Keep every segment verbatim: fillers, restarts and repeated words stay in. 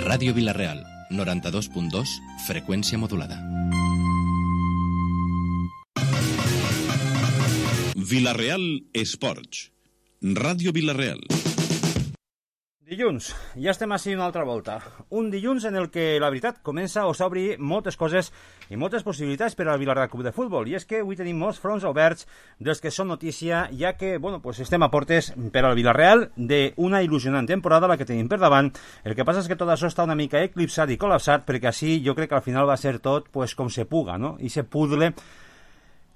Ràdio Vila-real, noranta-dos punt dos, freqüència modulada. Vila-real Esports. Ràdio Vila-real. Dilluns, ja estem així una altra volta. Un dilluns en el que, la veritat, comença o s'obri moltes coses i moltes possibilitats per al Vila-real Club de Futbol. I és que avui tenim molts fronts oberts dels que són notícia, ja que, bueno, pues estem a portes per al Vila-real d'una il·lusionant temporada, la que tenim per davant. El que passa és que tot això està una mica eclipsat i col·lapsat, perquè així jo crec que al final va ser tot pues, com se puga, no? I se pudle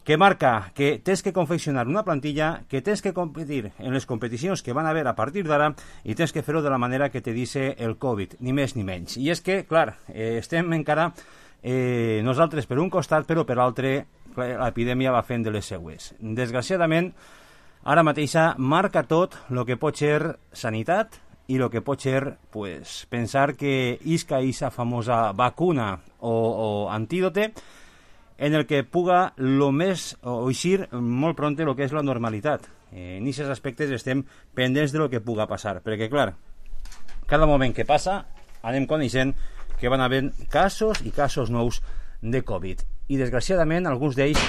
que marca que tens que confeccionar una plantilla, que tens que competir en les competicions que van a haver a partir d'ara i tens que fer-ho de la manera que te dice el Covid, ni més ni menys. I és que, clar, eh, estem encara eh, nosaltres per un costat, però per l'altre l'epidèmia va fent de les seues. Desgraciadament, ara mateixa marca tot el que pot ser sanitat i el que pot ser pues, pensar que isca esa famosa vacuna o, o antídote en el que puga lo més, o eixir molt pronte el que és la normalitat. Eh, en aquests aspectes estem pendents de lo que puga passar, perquè clar, cada moment que passa anem coneixent que van haver casos i casos nous de Covid, i desgraciadament alguns d'ells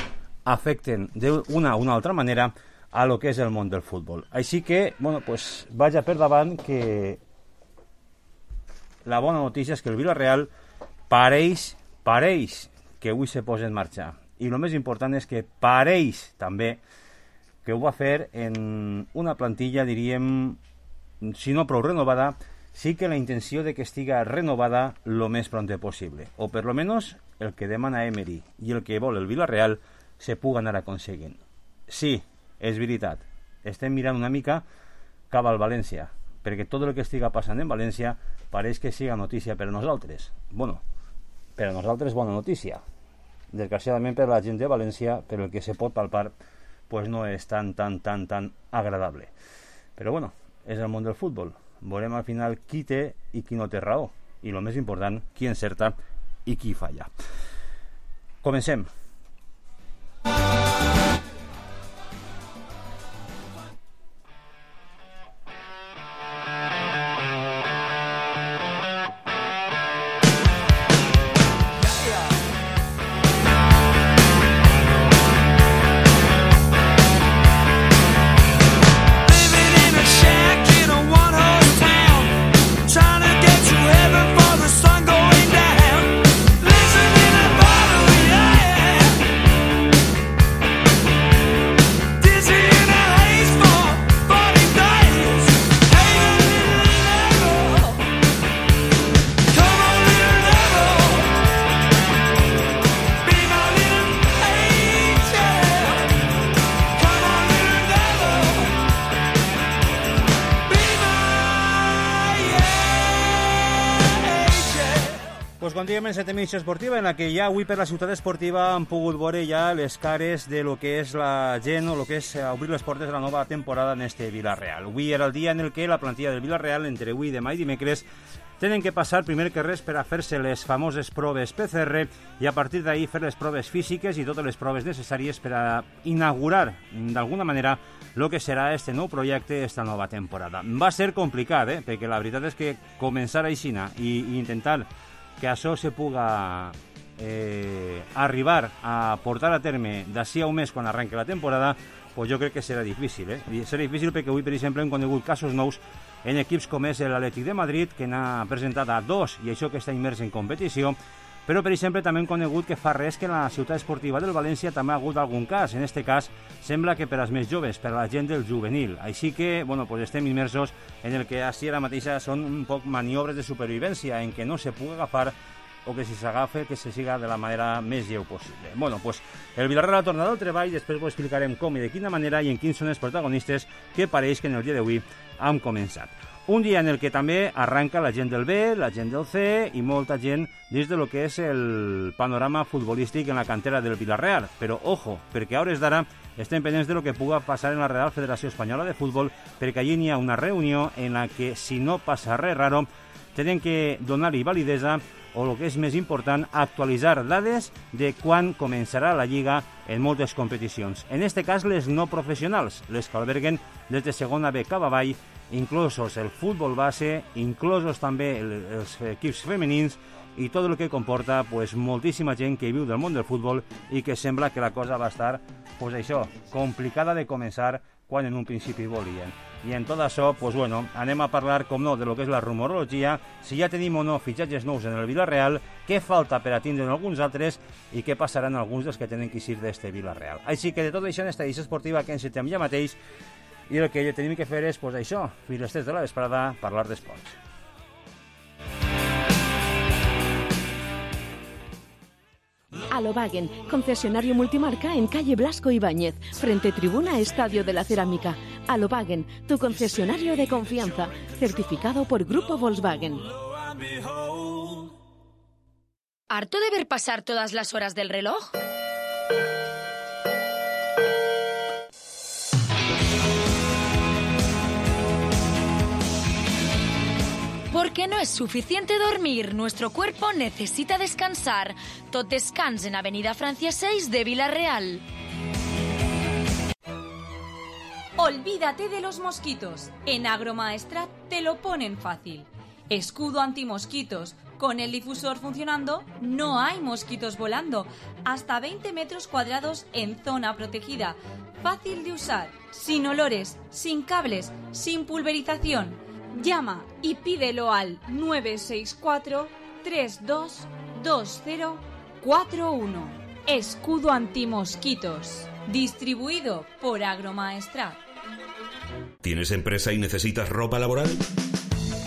afecten d'una o una altra manera a lo que és el món del futbol. Així que, bueno, pues vaja per davant que la bona notícia és que el Vila-real pareix, pareix que avui se posa en marxa. I el més important és que pareix també que ho va fer en una plantilla, diríem, si no prou renovada, sí que la intenció de que estiga renovada lo més pronte possible. O per lo menos el que demana Emery i el que vol el Vila-real se puga anar aconseguint. Sí, és veritat. Estem mirant una mica cap al València, perquè tot el que estiga passant en València pareix que siga notícia per a nosaltres. Bueno, per a nosaltres bona notícia. Desgraciadament per la gent de València, per el que se pot palpar, pues no és tan, tan, tan, tan agradable. Però bueno, és el món del futbol. Veurem al final qui té i qui no té raó. I el més important, qui encerta i qui falla. Comencem. En cette emissió esportiva en la que ja avui per la ciutat esportiva han pogut veure ja les cares de lo que és la gent o lo que és obrir les portes de la nova temporada en este Vila-real. Avui era el dia en el que la plantilla del Vila-real entre avui, demà i dimecres tenen que passar primer que res per a fer-se les famoses proves P C R i a partir d'ahir fer les proves físiques i totes les proves necessàries per a inaugurar d'alguna manera el que serà este nou projecte, esta nova temporada. Va ser complicat, eh? Perquè la veritat és que començar aixina i, i intentar que això se puga eh, arribar a portar a terme d'ací a un mes quan arrenque la temporada, pues jo crec que serà difícil. Eh? Serà difícil perquè avui, per exemple, hem conegut casos nous en equips com és l'Atlètic de Madrid, que n'ha presentat a dos, i això que està immers en competició, però, per exemple, també hem conegut que fa res que en la ciutat esportiva del València també ha hagut algun cas. En aquest cas, sembla que per als més joves, per a la gent del juvenil. Així que, bueno, pues estem immersos en el que així ara mateixa són un poc maniobres de supervivència, en què no se pugui agafar o que si s'agafa, que se siga de la manera més lleu possible. Bueno, pues el Vila-real ha tornat al treball, després ho explicarem com i de quina manera i en quins són els protagonistes que pareix que en el dia d'avui han començat. Un dia en el que també arranca la gent del B, la gent del C i molta gent dins de lo que és el panorama futbolístic en la cantera del Vila-real. Però, ojo, perquè a hores d'ara estem pendents de lo que puga passar en la Real Federació Espanyola de Futbol, perquè allí n'hi ha una reunió en la que, si no passa res raro, tenen que donar-hi validesa o, el que és més important, actualitzar dades de quan començarà la Lliga en moltes competicions. En aquest cas, les no professionals, les que alberguen des de segona B cap avall inclosos el futbol base, inclosos també el, els equips femenins i tot el que comporta pues, moltíssima gent que viu del món del futbol i que sembla que la cosa va estar, pues això, complicada de començar quan en un principi volien. I en tot això, pues bueno, anem a parlar, com no, de lo que és la rumorologia, si ja tenim o no fitxatges nous en el Villarreal, què falta per a tindre'n alguns altres i què passaran alguns dels que tenen que eixir d'este Villarreal. Així que de tot això en esta edició esportiva que ens citem ja mateix i el que tenim que fer és, pues això, fins les tres de la vesprada, parlar d'esports. Alobagen, concesionario multimarca en calle Blasco Ibáñez, frente tribuna Estadio de la Cerámica. Alobagen, tu concesionario de confianza, certificado por Grupo Volkswagen. ¿Harto de ver pasar todas las horas del reloj? Porque no es suficiente dormir, nuestro cuerpo necesita descansar. Tot descans en Avenida Francia seis de Villarreal. Olvídate de los mosquitos. En Agromaestrat te lo ponen fácil. Escudo antimosquitos. Con el difusor funcionando, no hay mosquitos volando. Hasta veinte metros cuadrados en zona protegida. Fácil de usar, sin olores, sin cables, sin pulverización. Llama y pídelo al nueve seis cuatro, tres dos dos cero cuatro uno. Escudo antimosquitos. Distribuido por Agromaestrat. ¿Tienes empresa y necesitas ropa laboral?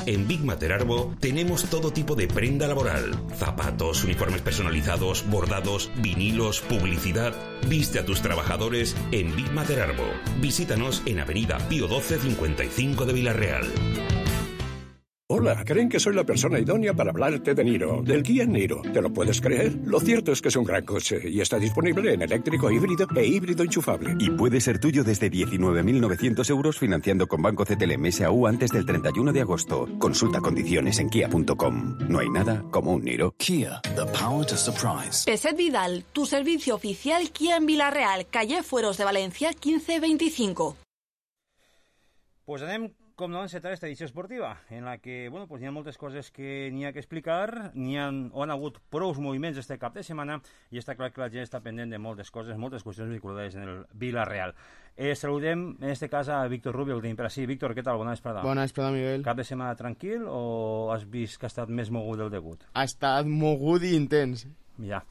En Big Mater Arbo tenemos todo tipo de prenda laboral. Zapatos, uniformes personalizados, bordados, vinilos, publicidad. Viste a tus trabajadores en Big Mater Arbo. Visítanos en Avenida Pío doce cincuenta y cinco de Villarreal. Hola, creen que soy la persona idónea para hablarte de Niro, del Kia Niro. ¿Te lo puedes creer? Lo cierto es que es un gran coche y está disponible en eléctrico, híbrido e híbrido enchufable. Y puede ser tuyo desde diecinueve mil novecientos euros financiando con Banco C T L M S A U antes del treinta y uno de agosto. Consulta condiciones en kia punto com. No hay nada como un Niro. Kia, the power to surprise. Peset Vidal, tu servicio oficial Kia en Villarreal, calle Fueros de Valencia quince veinticinco. Pues anem, com no, a encetar esta edició esportiva, en la que, bueno, pues hi ha moltes coses que n'hi ha que explicar, n'hi ha, o han hagut prous moviments este cap de setmana, i està clar que la gent està pendent de moltes coses, moltes qüestions vinculades en el Villarreal. Eh, saludem, en este cas, a Víctor Rubio, el tenim per així. Víctor, què tal? Bona vesprada. Bona vesprada, Miguel. Cap de setmana tranquil o has vist que ha estat més mogut del degut? Ha estat mogut i intens. Ja.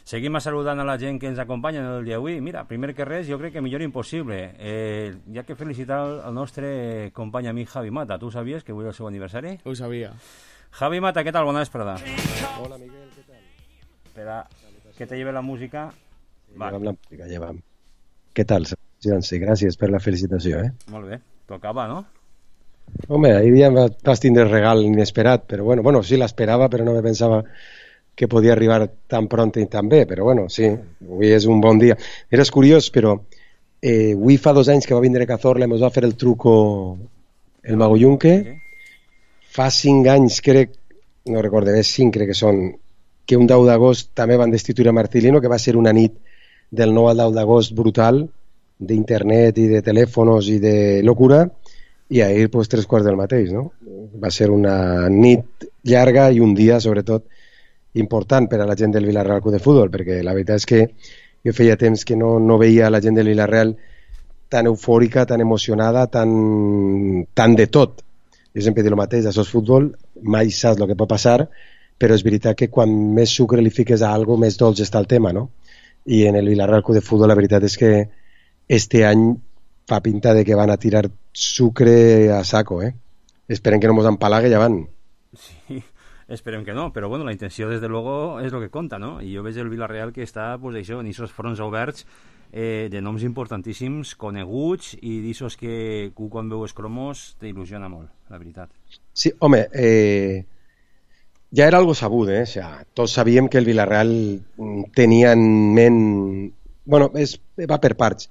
Seguim saludant a la gent que ens acompanya en el dia d'avui. Mira, primer que res, jo crec que millor impossible. Eh, hi ha que felicitar el nostre company amic Javi Mata. Tu sabies que avui és el seu aniversari? Ho sabia. Javi Mata, què tal? Bona vesprada. Hola, Miguel, ¿qué tal? Espera, que te lleve la música. Sí, vale. Llevam la música, llevam. ¿Qué tal? Sí, gràcies per la felicitació, eh? Molt bé, tocava, no? Home, ahir ja vas tindre regal inesperat, però bueno, bueno, sí l'esperava, però no me pensava que podia arribar tan pront i tan bé, però bueno, sí, avui és un bon dia. Era curiós, però eh, avui fa dos anys que va vindre Cazorla i ens va fer el truco el Mago Yunque. Okay. Fa cinc anys, crec, no recordo bé, cinc crec que són, que un deu d'agost també van destituir a Marcelino, que va ser una nit del nou al deu d'agost brutal, d'internet i de telèfons i de locura, i ahir pues, tres quarts del mateix, no? Va ser una nit llarga i un dia, sobretot, important per a la gent del Villarreal Club de Futbol, perquè la veritat és que jo feia temps que no, no veia la gent del Villarreal tan eufòrica, tan emocionada, tan, tan de tot. Jo sempre dic el mateix, això és futbol, mai saps el que pot passar, però és veritat que quan més sucre li fiques a alguna cosa, més dolç està el tema, no? I en el Villarreal Club de Futbol la veritat és que este any fa pinta de que van a tirar sucre a saco, eh? Esperem que no mos empalague i avant. Sí. Esperem que no, però bueno, la intenció des de luego és el que compta, no? I jo veig el Villarreal que està, pues, això, en aquests fronts oberts eh, de noms importantíssims, coneguts, i d'aixòs que tu quan veus cromos t'il·lusiona molt, la veritat. Sí, home, eh, ja era algo sabut, eh? O sea, tots sabíem que el Villarreal tenia en ment... Bueno, és, va per parts.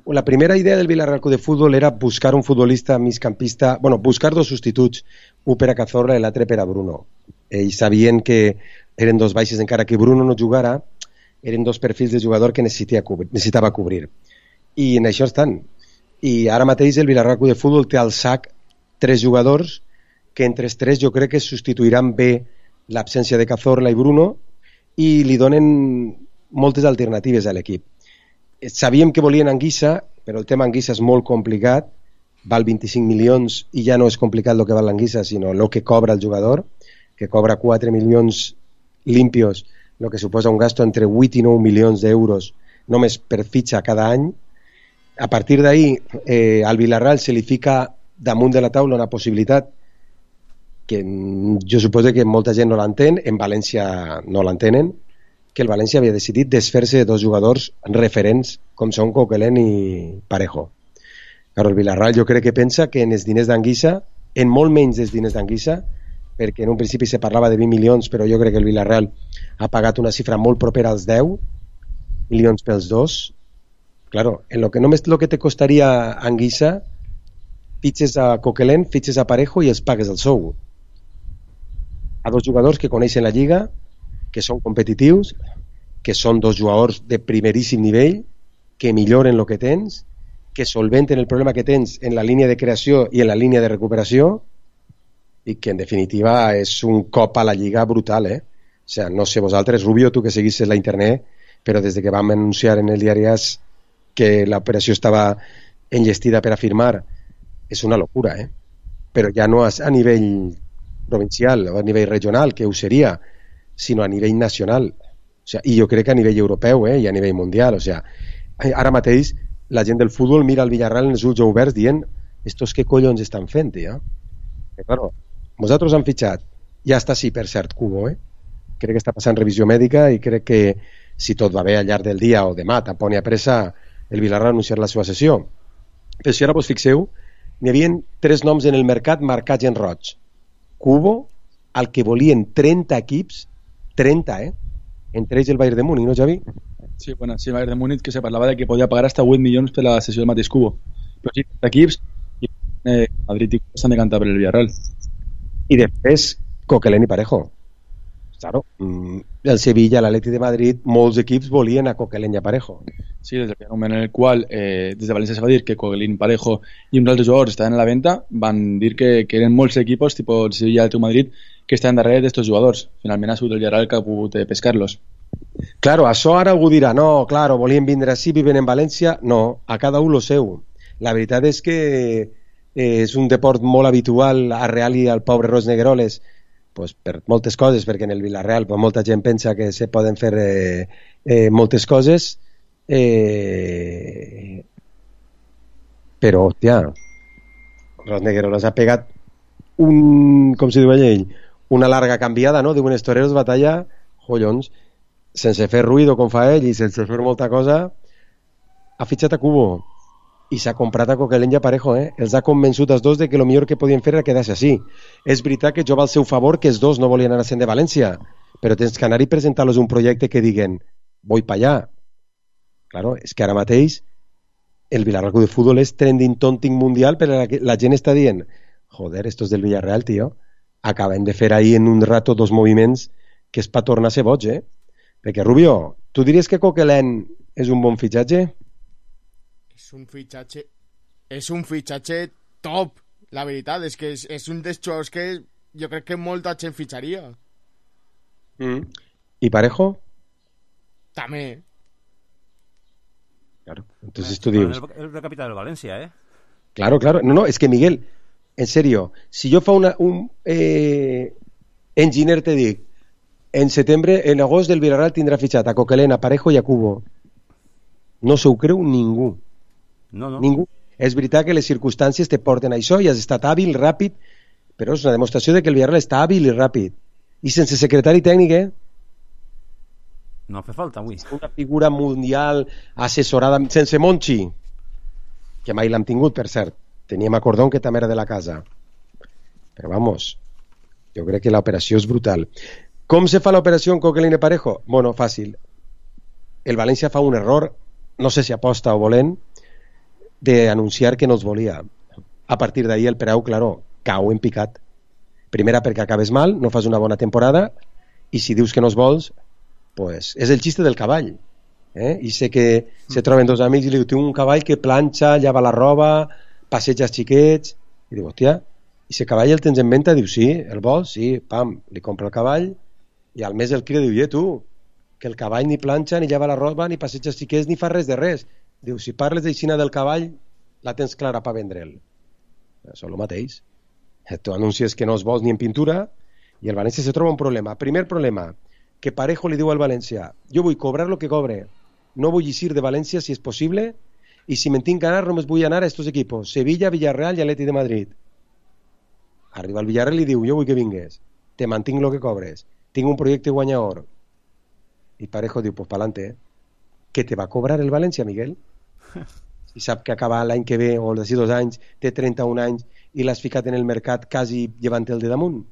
La primera idea del Villarreal Club de Futbol era buscar un futbolista migcampista, bueno, buscar dos substituts, un per a Cazorla i l'altre per a Bruno. Ells sabien que eren dos baixes, encara que Bruno no jugara, eren dos perfils de jugador que cobrir, necessitava cobrir. I en això estan. I ara mateix el Villarreal Club de Futbol té al sac tres jugadors que entre els tres jo crec que substituiran bé l'absència de Cazorla i Bruno i li donen moltes alternatives a l'equip. Sabíem que volien Anguissa, però el tema Anguissa és molt complicat, val vint-i-cinc milions i ja no és complicat el que val l'Anguissa, sinó el que cobra el jugador, que cobra quatre milions limpios, el que suposa un gasto entre vuit i nou milions d'euros només per fitxa cada any. A partir d'ahí, eh, al Villarreal se li fica damunt de la taula una possibilitat que jo suposo que molta gent no l'entén, en València no l'entenen, que el València havia decidit desfer-se de dos jugadors referents com són Coquelin i Parejo. Però el Villarreal jo crec que pensa que en els diners d'Anguissa, en molt menys dels diners d'Anguissa, perquè en un principi se parlava de vint milions, però jo crec que el Villarreal ha pagat una xifra molt propera als deu milions pels dos. Claro, en lo que només lo que te costaria Anguissa, fitxes a Coquelin, fitxes a Parejo i els pagues el sou. A dos jugadors que coneixen la lliga, que són competitius, que són dos jugadors de primeríssim nivell, que milloren el que tens, que solventen el problema que tens en la línia de creació i en la línia de recuperació, i que en definitiva és un cop a la lliga brutal, eh? O sea, no sé vosaltres, Rubio, tu que seguisses la internet, però des de que vam anunciar en el diari AS que l'operació estava enllestida per a firmar, és una locura, eh? Però ja no a nivell provincial o a nivell regional, que ho seria, sinó a nivell nacional. O sea, i jo crec que a nivell europeu, eh? I a nivell mundial. O sea, ara mateix la gent del futbol mira el Villarreal en els ulls oberts dient estos què collons estan fent, ja? Que, claro, vosaltres han fitxat, ja està sí, per cert, Cubo, eh? Crec que està passant revisió mèdica i crec que si tot va bé al llarg del dia o demà, tampoc n'hi ha pressa, el Villarreal anunciarà la seva sessió. Però si ara vos fixeu, n'hi havia tres noms en el mercat marcats en roig. Cubo, al que volien trenta equips, trenta, eh? Entre ells el Bayern de Múnich, no, Javi? Sí, bueno, sí, el Bayern de Múnich, que se parlava de que podia pagar hasta vuit milions per la sessió del mateix Cubo. Però sí, trenta equips, i eh, Madrid i Cubo s'han de cantar per el Villarreal. I després, Coquelin i Parejo. Claro, el Sevilla, l'Atleti de Madrid, molts equips volien a Coquelin i a Parejo. Sí, des del moment en el qual eh, des de València se va dir que Coquelin, Parejo i uns altres jugadors estaven a la venda, van dir que, que eren molts equipos, tipus el Sevilla i el Madrid, que estaven darrere d'estos jugadors. Finalment ha sigut el Villarreal que ha pogut eh, pescar-los. Claro, això ara algú dirà, no, claro, volien vindre així, viven en València. No, a cada un lo seu. La veritat és que eh, és un deport molt habitual a Real i al pobre Ros Negreroles, pues, per moltes coses, perquè en el Villarreal pues, molta gent pensa que se poden fer eh, eh, moltes coses, eh, però, hòstia, Ros Negreroles ha pegat un, com si diu ell, una larga canviada, no? Diuen els toreros, batalla, jollons, sense fer ruïdo com fa ell i sense fer molta cosa, ha fitxat a Cubo i s'ha comprat a Coquelin i a Parejo, eh? Els ha convençut els dos de que el millor que podien fer era quedar-se així. És veritat que jo va al seu favor que els dos no volien anar-se'n de València, però tens que anar i presentar-los un projecte que diguen voy pa allá. Claro, és que ara mateix el Villarreal Club de Fútbol és trending topic mundial, però la, la gent està dient joder, estos del Villarreal, tio, acaben de fer ahí en un rato dos moviments que és pa tornar a ser boig, eh? Perquè, Rubio, tu diries que Coquelin és un bon fitxatge? És un fitxatge és un fitxatge top, la veritat és que és, és un dels jugadors que jo crec que molta gent fitxaria. Mm. I Parejo? També. Claro, entonces tú dius el, el capitán del Valencia, eh? Claro, claro, no, no, es que Miguel, en serio, si jo fa una, un eh, enginyer te dic en setembre, en agost del Villarreal tindrà fitxat a Coquelin, a Parejo i a Cubo, no se ho creu ningú. No, no. Ningú. És veritat que les circumstàncies te porten a això i has estat hàbil, ràpid, però és una demostració de que el Villarreal està hàbil i ràpid. I sense secretari tècnic, eh? No fa falta avui. Una figura mundial assessorada, sense Monchi, que mai l'hem tingut, per cert. Teníem a Cordón, que també era de la casa. Però vamos, jo crec que l'operació és brutal. Com se fa l'operació en Coquelin i Parejo? Bueno, fàcil. El València fa un error, no sé si aposta o volent, d'anunciar que no els volia. A partir d'ahir el preu, claro, cau en picat. Primera perquè acabes mal, no fas una bona temporada, i si dius que no els vols, pues, és el xiste del cavall. Eh? I sé que se troben dos amics i li diu, tinc un cavall que planxa, llava la roba, passeja els xiquets, i diu, hòstia, I si el cavall el tens en venda, diu, sí, el vols? Sí, pam, li compra el cavall i al mes el crida, diu, i tu, que el cavall ni planxa, ni lleva la roba, ni passeja xiquets, ni fa res de res. Diu, si parles d'aixina del cavall, la tens clara per vendre'l. Això és el mateix. Tu anuncies que no els vols ni en pintura i el València se troba un problema. Primer problema, que Parejo li diu al València, jo vull cobrar lo que cobre, no vull eixir de València si és possible i si me'n tinc que anar només vull anar a estos equipos, Sevilla, Villarreal i Atleti de Madrid. Arriba al Villarreal i diu, jo vull que vingues, te mantinc lo que cobres, tinc un projecte guanyador. I Parejo diu, pues pa'lante, eh? Que te va cobrar el València, Miguel? Si sap que acaba l'any que ve o d'ací dos anys, té trenta-un anys i l'has ficat en el mercat quasi llevant el de damunt.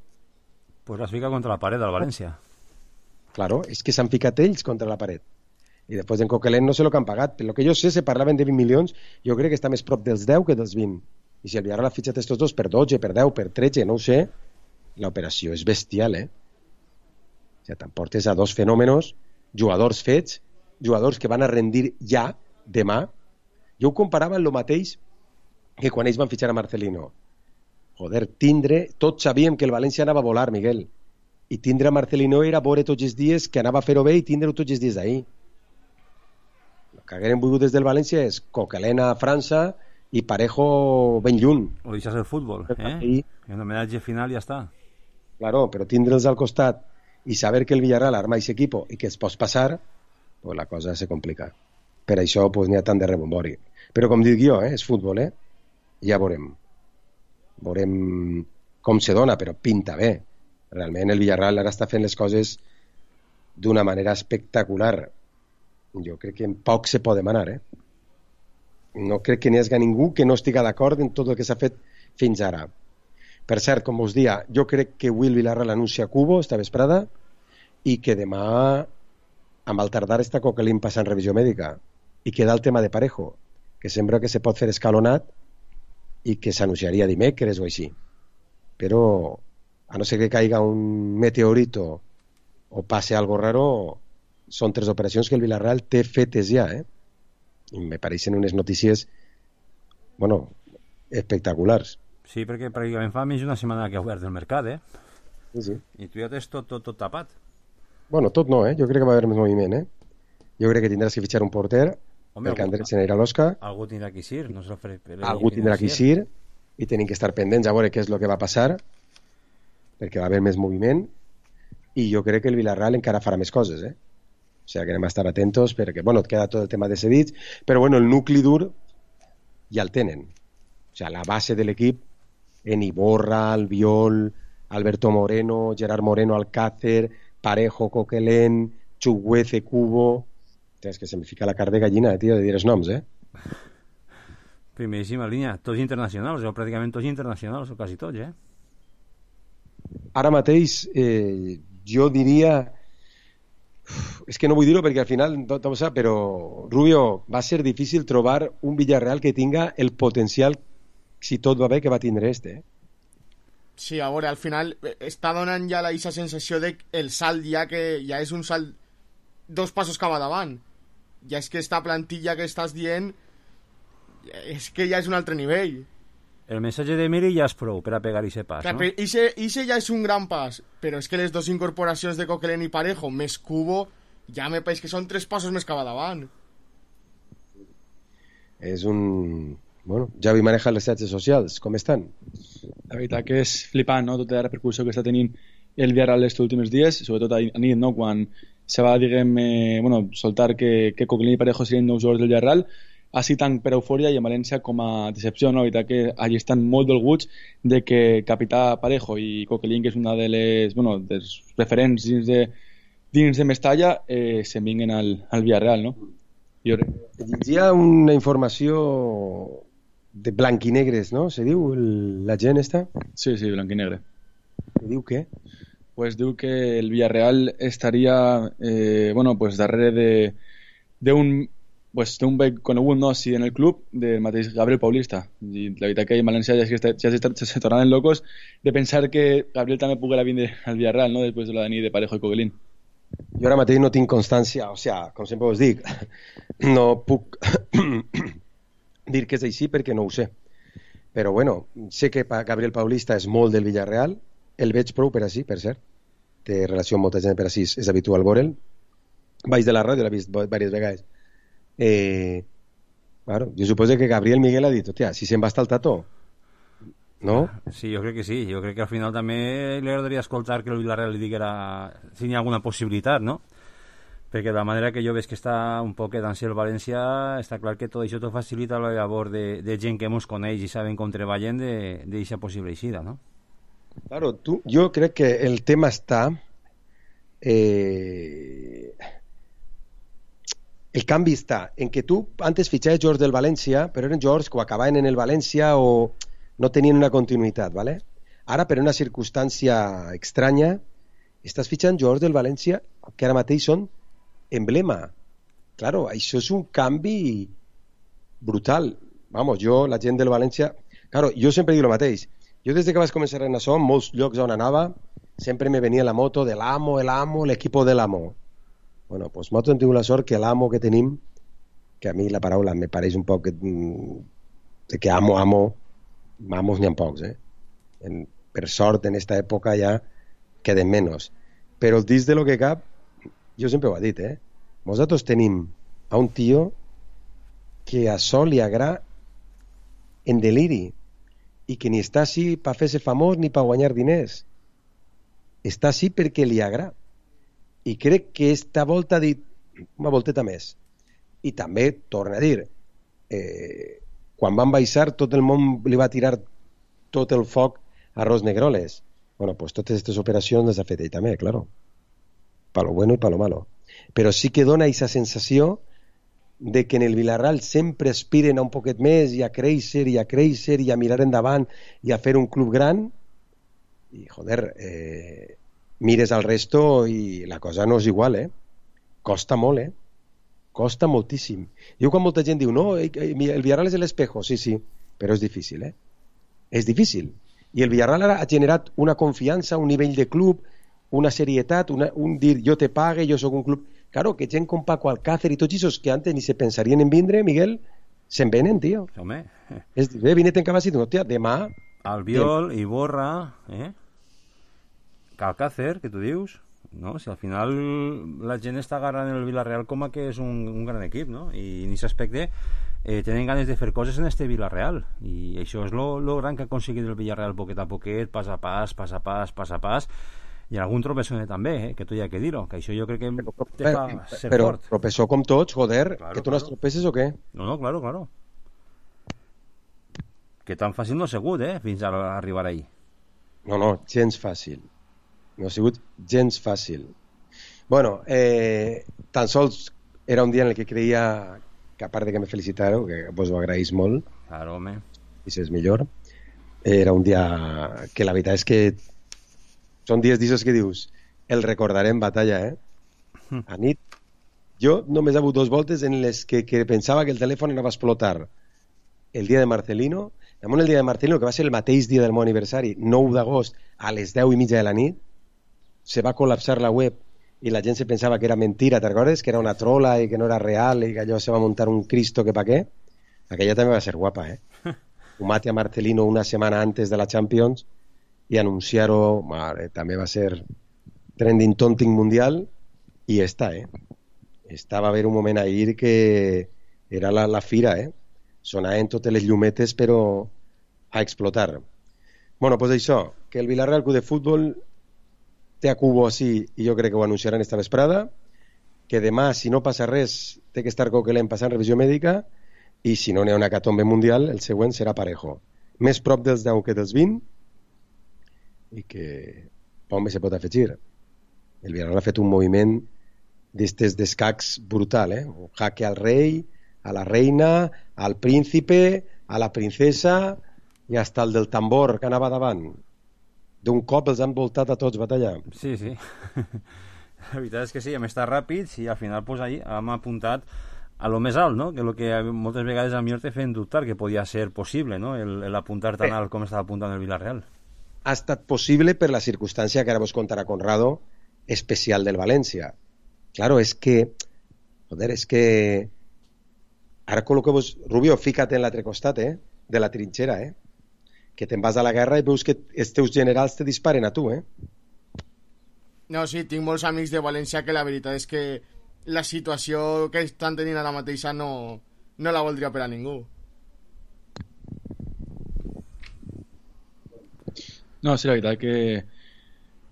Pues l'has ficat contra la paret del València. Claro, és que s'han ficat ells contra la paret. I després en Coquelin no sé el que han pagat. Per lo que jo sé, se parlaven de vint milions, jo crec que està més prop dels deu que dels vint. I si el Villarreal ha fitxat estos dos per dotze, per deu, per tretze, no ho sé, l'operació és bestial, eh? O sigui, t'emportes a dos fenòmenos, jugadors fets, jugadors que van a rendir ja, demà. Jo ho comparava amb el mateix que quan ells van fitxar a Marcelino. Joder, tindre, tots sabíem que el València anava a volar, Miguel, i tindre a Marcelino era veure tots els dies que anava a fer-ho bé i tindre-ho tots els dies d'ahir. El que hagueren volgut des del València és Coquelin a França i Parejo ben lluny. O deixar el futbol, eh? I un homenatge final i ja està. Claro, però tindre'ls al costat i saber que el Villarreal arma aquest equip i que es pot passar, pues la cosa se complica. Per això pues, n'hi ha tant de rebombori. Però com dic jo, eh, és futbol, eh? Ja veurem. Veurem com se dona, però pinta bé. Realment el Villarreal ara està fent les coses d'una manera espectacular. Jo crec que en poc se pot demanar, eh? No crec que n'hi hagi ningú que no estigui d'acord en tot el que s'ha fet fins ara. Per cert, com us dia, jo crec que avui el Villarreal anuncia Cubo esta vesprada i que demà amb el tardar està Coquelin passant revisió mèdica i queda el tema de Parejo, que sembla que se pot fer escalonat i que s'anunciaria dimecres o així. Però a no ser que caiga un meteorito o passe algo raro, són tres operacions que el Villarreal té fetes ja, eh? I me pareixen unes notícies, bueno, espectaculars. Sí, perquè pràcticament fa més d'una setmana que ha obert el mercat, eh? Sí, sí. I tu ja tens tot, tot, tot tapat. Bueno, tot no, eh? Jo crec que va haver més moviment, eh? Jo crec que tindràs que fitxar un porter, Home, perquè Andrés se n'anirà a l'Osca. Algú tindrà que eixir, no se l'ofereix. Algú tindrà que eixir i tenim que estar pendents a veure què és el que va passar, perquè va haver més moviment i jo crec que el Villarreal encara farà més coses, eh? O sigui que anem a estar atentos perquè, bueno, et queda tot el tema de cedits, però bueno, el nucli dur ja el tenen. O sigui, la base de l'equip, en Iborra, Albiol, Alberto Moreno, Gerard Moreno, Alcácer, Parejo, Coquelin, Chuguece, Cubo... És que se me fica la carn de gallina, tio, de dir els noms, eh? Primeríssima línia. Tots internacionals, o pràcticament tots internacionals, o quasi tots, eh? Ara mateix, eh, jo diria... És que no vull dir-ho perquè al final, tot ho sap, però Rubio, va ser difícil trobar un Villarreal que tinga el potencial, si tot va bé, que va tindre este, eh? Sí, a veure, al final està donant ja la sensació de el salt ja que ja és un salt dos passos cap davant. Ja és que esta plantilla que estàs dient és que ja és un altre nivell. El missatge de Miri ja és prou per a pegar ixe pas, clar, no? Ixe, ixe ja és un gran pas, però és que les dues incorporacions de Coquelin i Parejo més Cubo ja me pareix que són tres passos més cap davant. És un... Bueno, Javi maneja les xarxes socials, com estan? La veritat que és flipant, no?, tota la repercussió que està tenint el Villarreal estos últims dies, sobretot a nit, no?, quan se va, diguem, eh, bueno, soltar que, que Coquelin i Parejo serien nous jugadors del Villarreal, així tant per eufòria i a València com a decepció, no?, la veritat que allí estan molt dolguts de que capità Parejo i Coquelin, que és una de les, bueno, dels referents dins de, dins de Mestalla, eh, se'n vinguen al, al Villarreal, no? Jo... Hi ha una informació de blanquinegres, no? Se diu el, la gent esta? Sí, sí, blanquinegre. Que diu què? Pues diu que el Villarreal estaria eh, bueno, pues darrere de d'un pues, un bec conegut, no, sí, en el club del mateix Gabriel Paulista. I la veritat que en València ja, ja, ja se, se tornaven locos de pensar que Gabriel també poguera vindre al Villarreal, no?, després de la nit de Parejo i Coquelin. Jo ara mateix no tinc constància, o sigui, com sempre us dic, no puc dir que és així perquè no ho sé. però bueno, sé que Gabriel Paulista és molt del Villarreal, el veig prou per així, per cert, té relació amb molta gent per així, és habitual veure'l, baix de la ràdio, l'he vist diverses vegades. Eh, claro, jo suposo que Gabriel Miguel ha dit, hòstia, si se'n va estar el Tato, no? Sí, jo crec que sí, jo crec que al final també li agradaria escoltar que el Villarreal li diguera si hi ha alguna possibilitat, no? Perquè de la manera que jo veig que està un poquet ansi el València, està clar que tot això t'ho facilita la labor de, de gent que mos coneix i saben com treballen d'eixa possible eixida, no? Claro, tu, jo crec que el tema està... Eh, el canvi està en que tu antes fitxaves jugadors del València, però eren jugadors que acabaven en el València o no tenien una continuïtat, ¿vale? Ara, per una circumstància estranya, estàs fitxant jugadors del València que ara mateix són emblema. Claro, això és un canvi brutal. Vamos, jo, la gent del València... Claro, jo sempre dic el mateix. Jo des que vaig començar en això, en molts llocs on anava, sempre me venia la moto de l'amo, el amo, l'equipo de l'amo. Bueno, pues nosaltres hem tingut la sort que l'amo que tenim, que a mi la paraula me pareix un poc de que amo, amo, amos n'hi ha pocs, eh? En, per sort, en esta època ja queden menys. Però dins de lo que cap, jo sempre ho he dit, eh? Nosaltres tenim a un tio que a sol li agrada en deliri i que ni està així per fer-se famós ni per guanyar diners. Està així perquè li agrada. I crec que esta volta ha dit una volteta més. I també, torna a dir, eh, quan van baixar tot el món li va tirar tot el foc a Ros Negroles. Bueno, pues totes aquestes operacions les ha fet ell també, claro. Pa lo bueno i pa lo malo. Però sí que dona aquesta sensació de que en el Villarreal sempre aspiren a un poquet més i a créixer i a créixer i a mirar endavant i a fer un club gran i, joder, eh, mires al resto i la cosa no és igual, eh? Costa molt, eh? Costa moltíssim. Jo quan molta gent diu, no, el Villarreal és l'espejo, sí, sí, però és difícil, eh? És difícil. I el Villarreal ara ha generat una confiança, un nivell de club, una serietat, una, un dir, jo te pague, jo sóc un club... Claro, que gent com Paco Alcácer i tots aquests que antes ni se pensarien en vindre, Miguel, se'n venen, tio. Home. És dir, eh, vine-te'n cap així, no, tia, demà... Albiol, Iborra, eh? Alcácer, que tu dius, no? Si al final la gent està agarrant el Villarreal com a que és un, un gran equip, no? I en aquest aspecte eh, tenen ganes de fer coses en este Villarreal i això és lo, lo gran que ha aconseguit el Villarreal poquet a poquet, pas a pas, pas a pas, pas a pas i algun tropezone també, eh? Que tu hi ha que dir-ho, que això jo crec que però, te fa ser però, fort. Però tropezó com tots, joder, claro, que tu no has tropeces o què? No, no, claro, claro. Que tan fàcil no ha sigut, eh? Fins a arribar ahí. No, no, gens fàcil. No ha sigut gens fàcil. Bueno, eh, tan sols era un dia en el que creia que a part de que me felicitareu, que vos ho agraïs molt, claro, home, i si és millor, era un dia que la veritat és que són dies d'aixòs que dius el recordarem batalla, eh? A nit jo només he hagut dos voltes en les que, que pensava que el telèfon anava a explotar. El dia de Marcelino, damunt el dia de Marcelino, que va ser el mateix dia del meu aniversari, nou d'agost, a les deu i mitja de la nit, se va col·lapsar la web i la gent se pensava que era mentira, te'n recordes? Que era una trola i que no era real i que allò se va muntar un Cristo que pa què? Aquella també va ser guapa, eh? Ho mate a Marcelino una setmana antes de la Champions i anunciar-ho, mare, també va ser trending tonting mundial i està, eh? Està, va haver un moment ahir que era la, la fira, eh? Sonaven totes les llumetes però a explotar. Bueno, doncs això, que el Villarreal Club de Futbol té a Cubo així i jo crec que ho anunciaran esta vesprada, que demà, si no passa res, té que estar Coquelin passant revisió mèdica i si no n'hi ha una hecatombe mundial, el següent serà Parejo. Més prop dels deu que dels vint i que home se pot afegir. El Villarreal ha fet un moviment d'estes d'escacs brutal, eh? Un jaque al rei, a la reina, al príncipe, a la princesa i hasta el del tambor que anava davant. D'un cop els han voltat a tots batalla. Sí, sí. La veritat és que sí, hem estat ràpids i al final pues, ahí hem apuntat a lo més alt, no? Que és el que moltes vegades a mi te feien dubtar que podia ser possible, no? El, el apuntar tan alt com estava apuntant el Villarreal. Ha estat possible per la circumstància que ara vos contarà Conrado, especial del València. Claro, és que joder, és que ara col·loqueu-vos, Rubio, fica't en l'altre costat, eh? De la trinxera, eh? que te'n vas a la guerra i veus que els teus generals te disparen a tu, eh? No, sí, tinc molts amics de València que la veritat és que la situació que estan tenint ara mateixa no, no la voldria per a ningú. No, sí, la veritat que,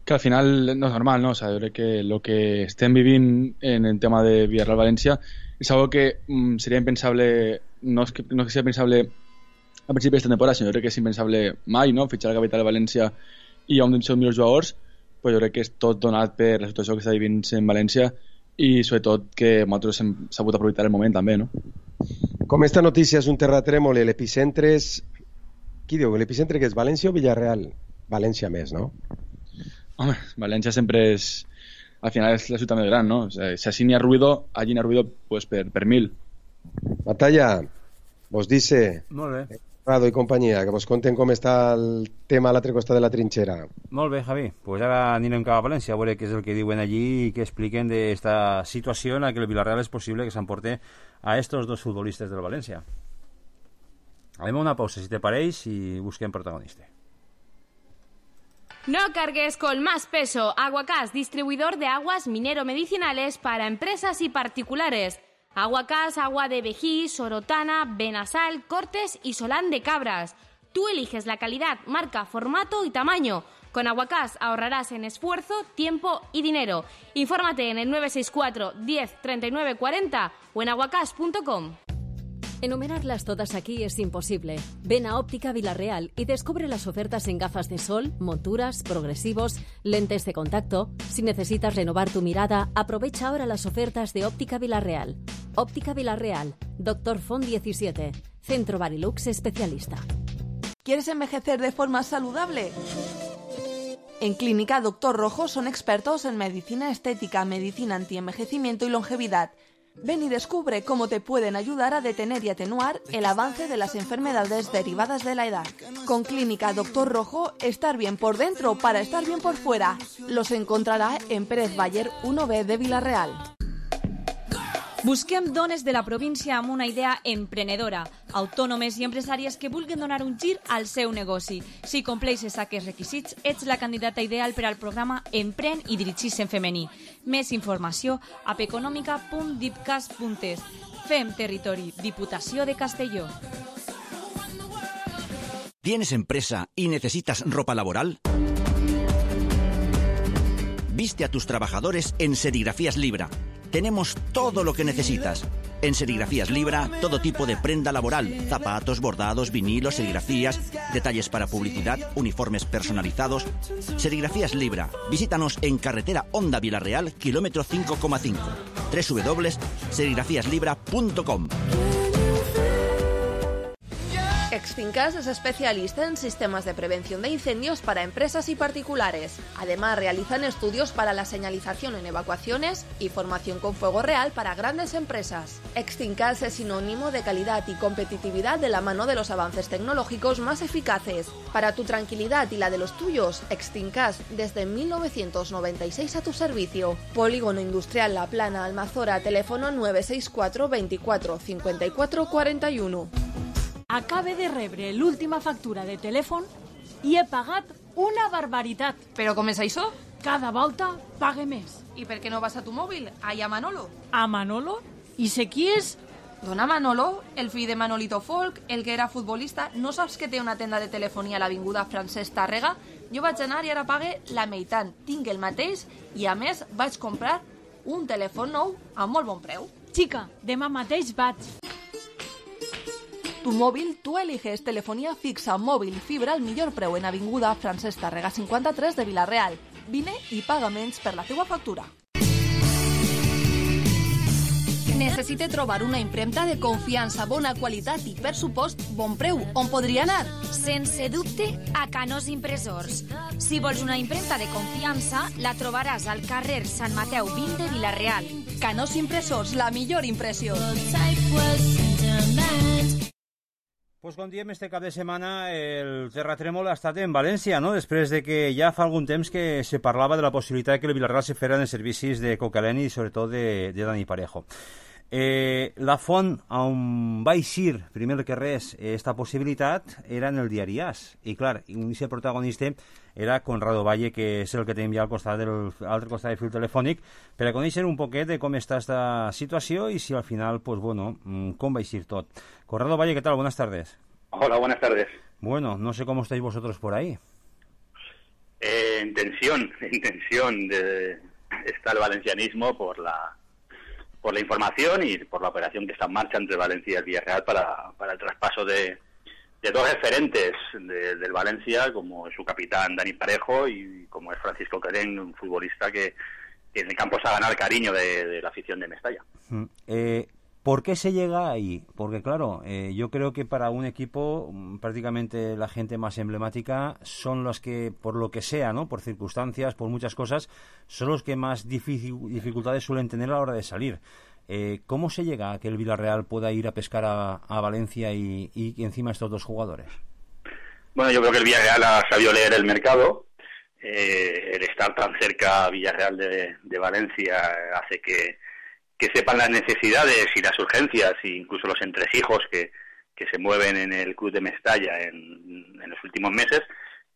que al final no és normal, ¿no? O sea, yo creo que lo que estem vivint en el tema de Villarreal-València és algo que mm, seria impensable, no és que, no és que sigui impensable a principi d'esta temporada, sinó crec que és impensable mai, no? Fitxar la capital de València i un dels seus millors jugadors, però jo crec que és tot donat per la situació que està vivint en València i sobretot que nosaltres hem sabut aprofitar el moment també, no? Com esta notícia és un terratrèmol i l'epicentre és... Qui diu? L'epicentre que és València o Villarreal? València més, no? Home, València sempre és... Al final és la ciutat més gran, no? O sea, si així n'hi ha ruido, allí n'hi ha ruido pues, per, per mil. Batalla, vos dice... Molt bé. Prado i companyia, que vos conten com està el tema a l'altre costat de la trinxera. Molt bé, Javi. Pues ara anirem cap a València a veure què és el que diuen allí i què expliquen d'esta situació en la que el Villarreal és possible que s'emporte a estos dos futbolistes del València. Anem a una pausa, si te pareix, i busquem protagonista. No cargues con más peso. Aguacás, distribuidor de aguas minero-medicinales para empresas y particulares. Aguacás, agua de vejí, sorotana, Benasal, Cortes y Solán de Cabras. Tú eliges la calidad, marca, formato y tamaño. Con Aguacás ahorrarás en esfuerzo, tiempo y dinero. Infórmate en el nueve seis cuatro, diez, treinta y nueve cuarenta o en aguacás punto com. Enumerarlas todas aquí es imposible. Ven a Óptica Villarreal y descubre las ofertas en gafas de sol, monturas, progresivos, lentes de contacto. Si necesitas renovar tu mirada, aprovecha ahora las ofertas de Óptica Villarreal. Óptica Villarreal, Doctor Font diecisiete, Centro Barilux especialista. ¿Quieres envejecer de forma saludable? En Clínica Doctor Rojo son expertos en medicina estética, medicina antienvejecimiento y longevidad. Ven y descubre cómo te pueden ayudar a detener y atenuar el avance de las enfermedades derivadas de la edad. Con Clínica Doctor Rojo, estar bien por dentro para estar bien por fuera. Los encontrará en Pérez Bayer uno B de Villarreal. Busquem dones de la província amb una idea emprenedora, autònomes i empresàries que vulguin donar un gir al seu negoci. Si compleixes aquests requisits, ets la candidata ideal per al programa Empren i dirigis en femení. Més informació a peconòmica punt dipcas punt es. Fem territori, Diputació de Castelló. ¿Tienes empresa y necesitas ropa laboral? Viste a tus trabajadores en Serigrafías Libra. Tenemos todo lo que necesitas. En Serigrafías Libra, todo tipo de prenda laboral, zapatos, bordados, vinilos, serigrafías, detalles para publicidad, uniformes personalizados. Serigrafías Libra. Visítanos en carretera Honda Villarreal, kilómetro cinco coma cinco. doble u doble u doble u punto serigrafías libra punto com. Exfincas es especialista en sistemas de prevención de incendios para empresas y particulares. Además, realizan estudios para la señalización en evacuaciones y formación con fuego real para grandes empresas. Exfincas es sinónimo de calidad y competitividad de la mano de los avances tecnológicos más eficaces. Para tu tranquilidad y la de los tuyos, Exfincas desde mil novecientos noventa y seis a tu servicio. Polígono Industrial La Plana, Almazora, teléfono nueve seis cuatro, veinticuatro, cincuenta y cuatro, cuarenta y uno. Acabe de rebre l'última factura de telèfon i he pagat una barbaritat. ¿Pero com és això? Cada volta pague més. ¿Y per què no vas a tu mòbil? Allà a Manolo. A Manolo? I sé qui és? Dona Manolo, el fill de Manolito Folk, el que era futbolista. No saps que té una tenda de telefonia a l'avinguda Francesc Tàrrega? Jo vaig anar i ara pague la meitat. Tinc el mateix i a més vaig comprar un telèfon nou a molt bon preu. Xica, demà mateix vaig. Tu móvil, tú eliges telefonía fixa, móvil y fibra al millor preu en avinguda Francesc Tàrrega cinquanta-tres de Vilareal. Vine i paga menys per la teua factura. Necessite trobar una impremta de confiança, bona qualitat i, per supost, bon preu. On podria anar? Sense dubte, a Canós Impressors. Si vols una impremta de confiança, la trobaràs al carrer Sant Mateu vint de Vilareal. Canós Impressors, la millor impressió. Pues com diem, este cap de setmana el terratrèmol ha estat en València, no? Després de que ja fa algun temps que se parlava de la possibilitat que el Villarreal se fera en els servicis de Coquelin i sobretot de, de Dani Parejo. Eh, la Font, on va eixir, primer que res, esta possibilitat, era en el diari As. I, clar, l'inici protagonista era Conrado Valle, que és el que tenim ja al costat del altre costat del fil telefònic, per a conèixer un poquet de com està esta situació i si al final, pues bueno, com va eixir tot. Conrado Valle, ¿qué tal? Buenas tardes. Hola, buenas tardes. Bueno, no sé cómo estáis vosotros por ahí. Eh, en tensión, en tensión de, está el valencianismo por la por la información y por la operación que está en marcha entre Valencia y el Villarreal para, para el traspaso de, de dos referentes de, del Valencia, como es su capitán Dani Parejo y como es Francisco Querén, un futbolista que, que en el campo se ha ganado el cariño de, de la afición de Mestalla. Eh, ¿Por qué se llega ahí? Porque claro, eh, yo creo que para un equipo prácticamente la gente más emblemática son los que, por lo que sea, ¿no? Por circunstancias, por muchas cosas, son los que más dific- dificultades suelen tener a la hora de salir. Eh, ¿Cómo se llega a que el Villarreal pueda ir a pescar a, a Valencia y, y encima estos dos jugadores? Bueno, yo creo que el Villarreal ha sabido leer el mercado. Eh, el estar tan cerca a Villarreal de, de Valencia hace que que sepan las necesidades y las urgencias e incluso los entresijos que, que se mueven en el club de Mestalla en, en los últimos meses,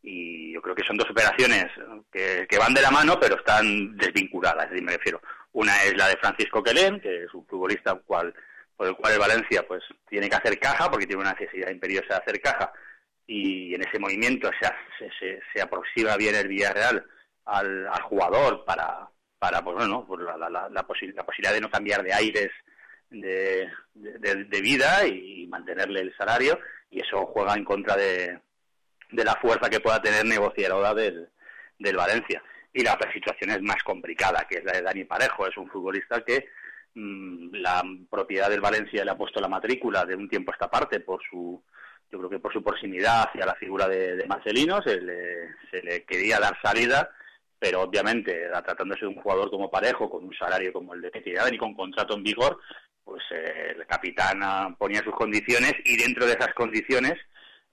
y yo creo que son dos operaciones que, que van de la mano pero están desvinculadas, me refiero. Una es la de Francisco Querén, que es un futbolista cual, por el cual el Valencia pues tiene que hacer caja porque tiene una necesidad imperiosa de hacer caja, y en ese movimiento se, se, se aproxima bien el Villarreal al, al jugador para para pues bueno pues la, la, la, la, posi- la posibilidad de no cambiar de aires de, de, de vida y mantenerle el salario, y eso juega en contra de, de la fuerza que pueda tener negociadora del, del Valencia. Y la otra situación es más complicada, que es la de Dani Parejo. Es un futbolista que mmm, la propiedad del Valencia le ha puesto la matrícula de un tiempo a esta parte por su, yo creo que por su proximidad hacia la figura de, de Marcelino. Se le, se le quería dar salida, pero obviamente, tratándose de un jugador como Parejo, con un salario como el de Petitán y con contrato en vigor, pues eh, el capitán ponía sus condiciones, y dentro de esas condiciones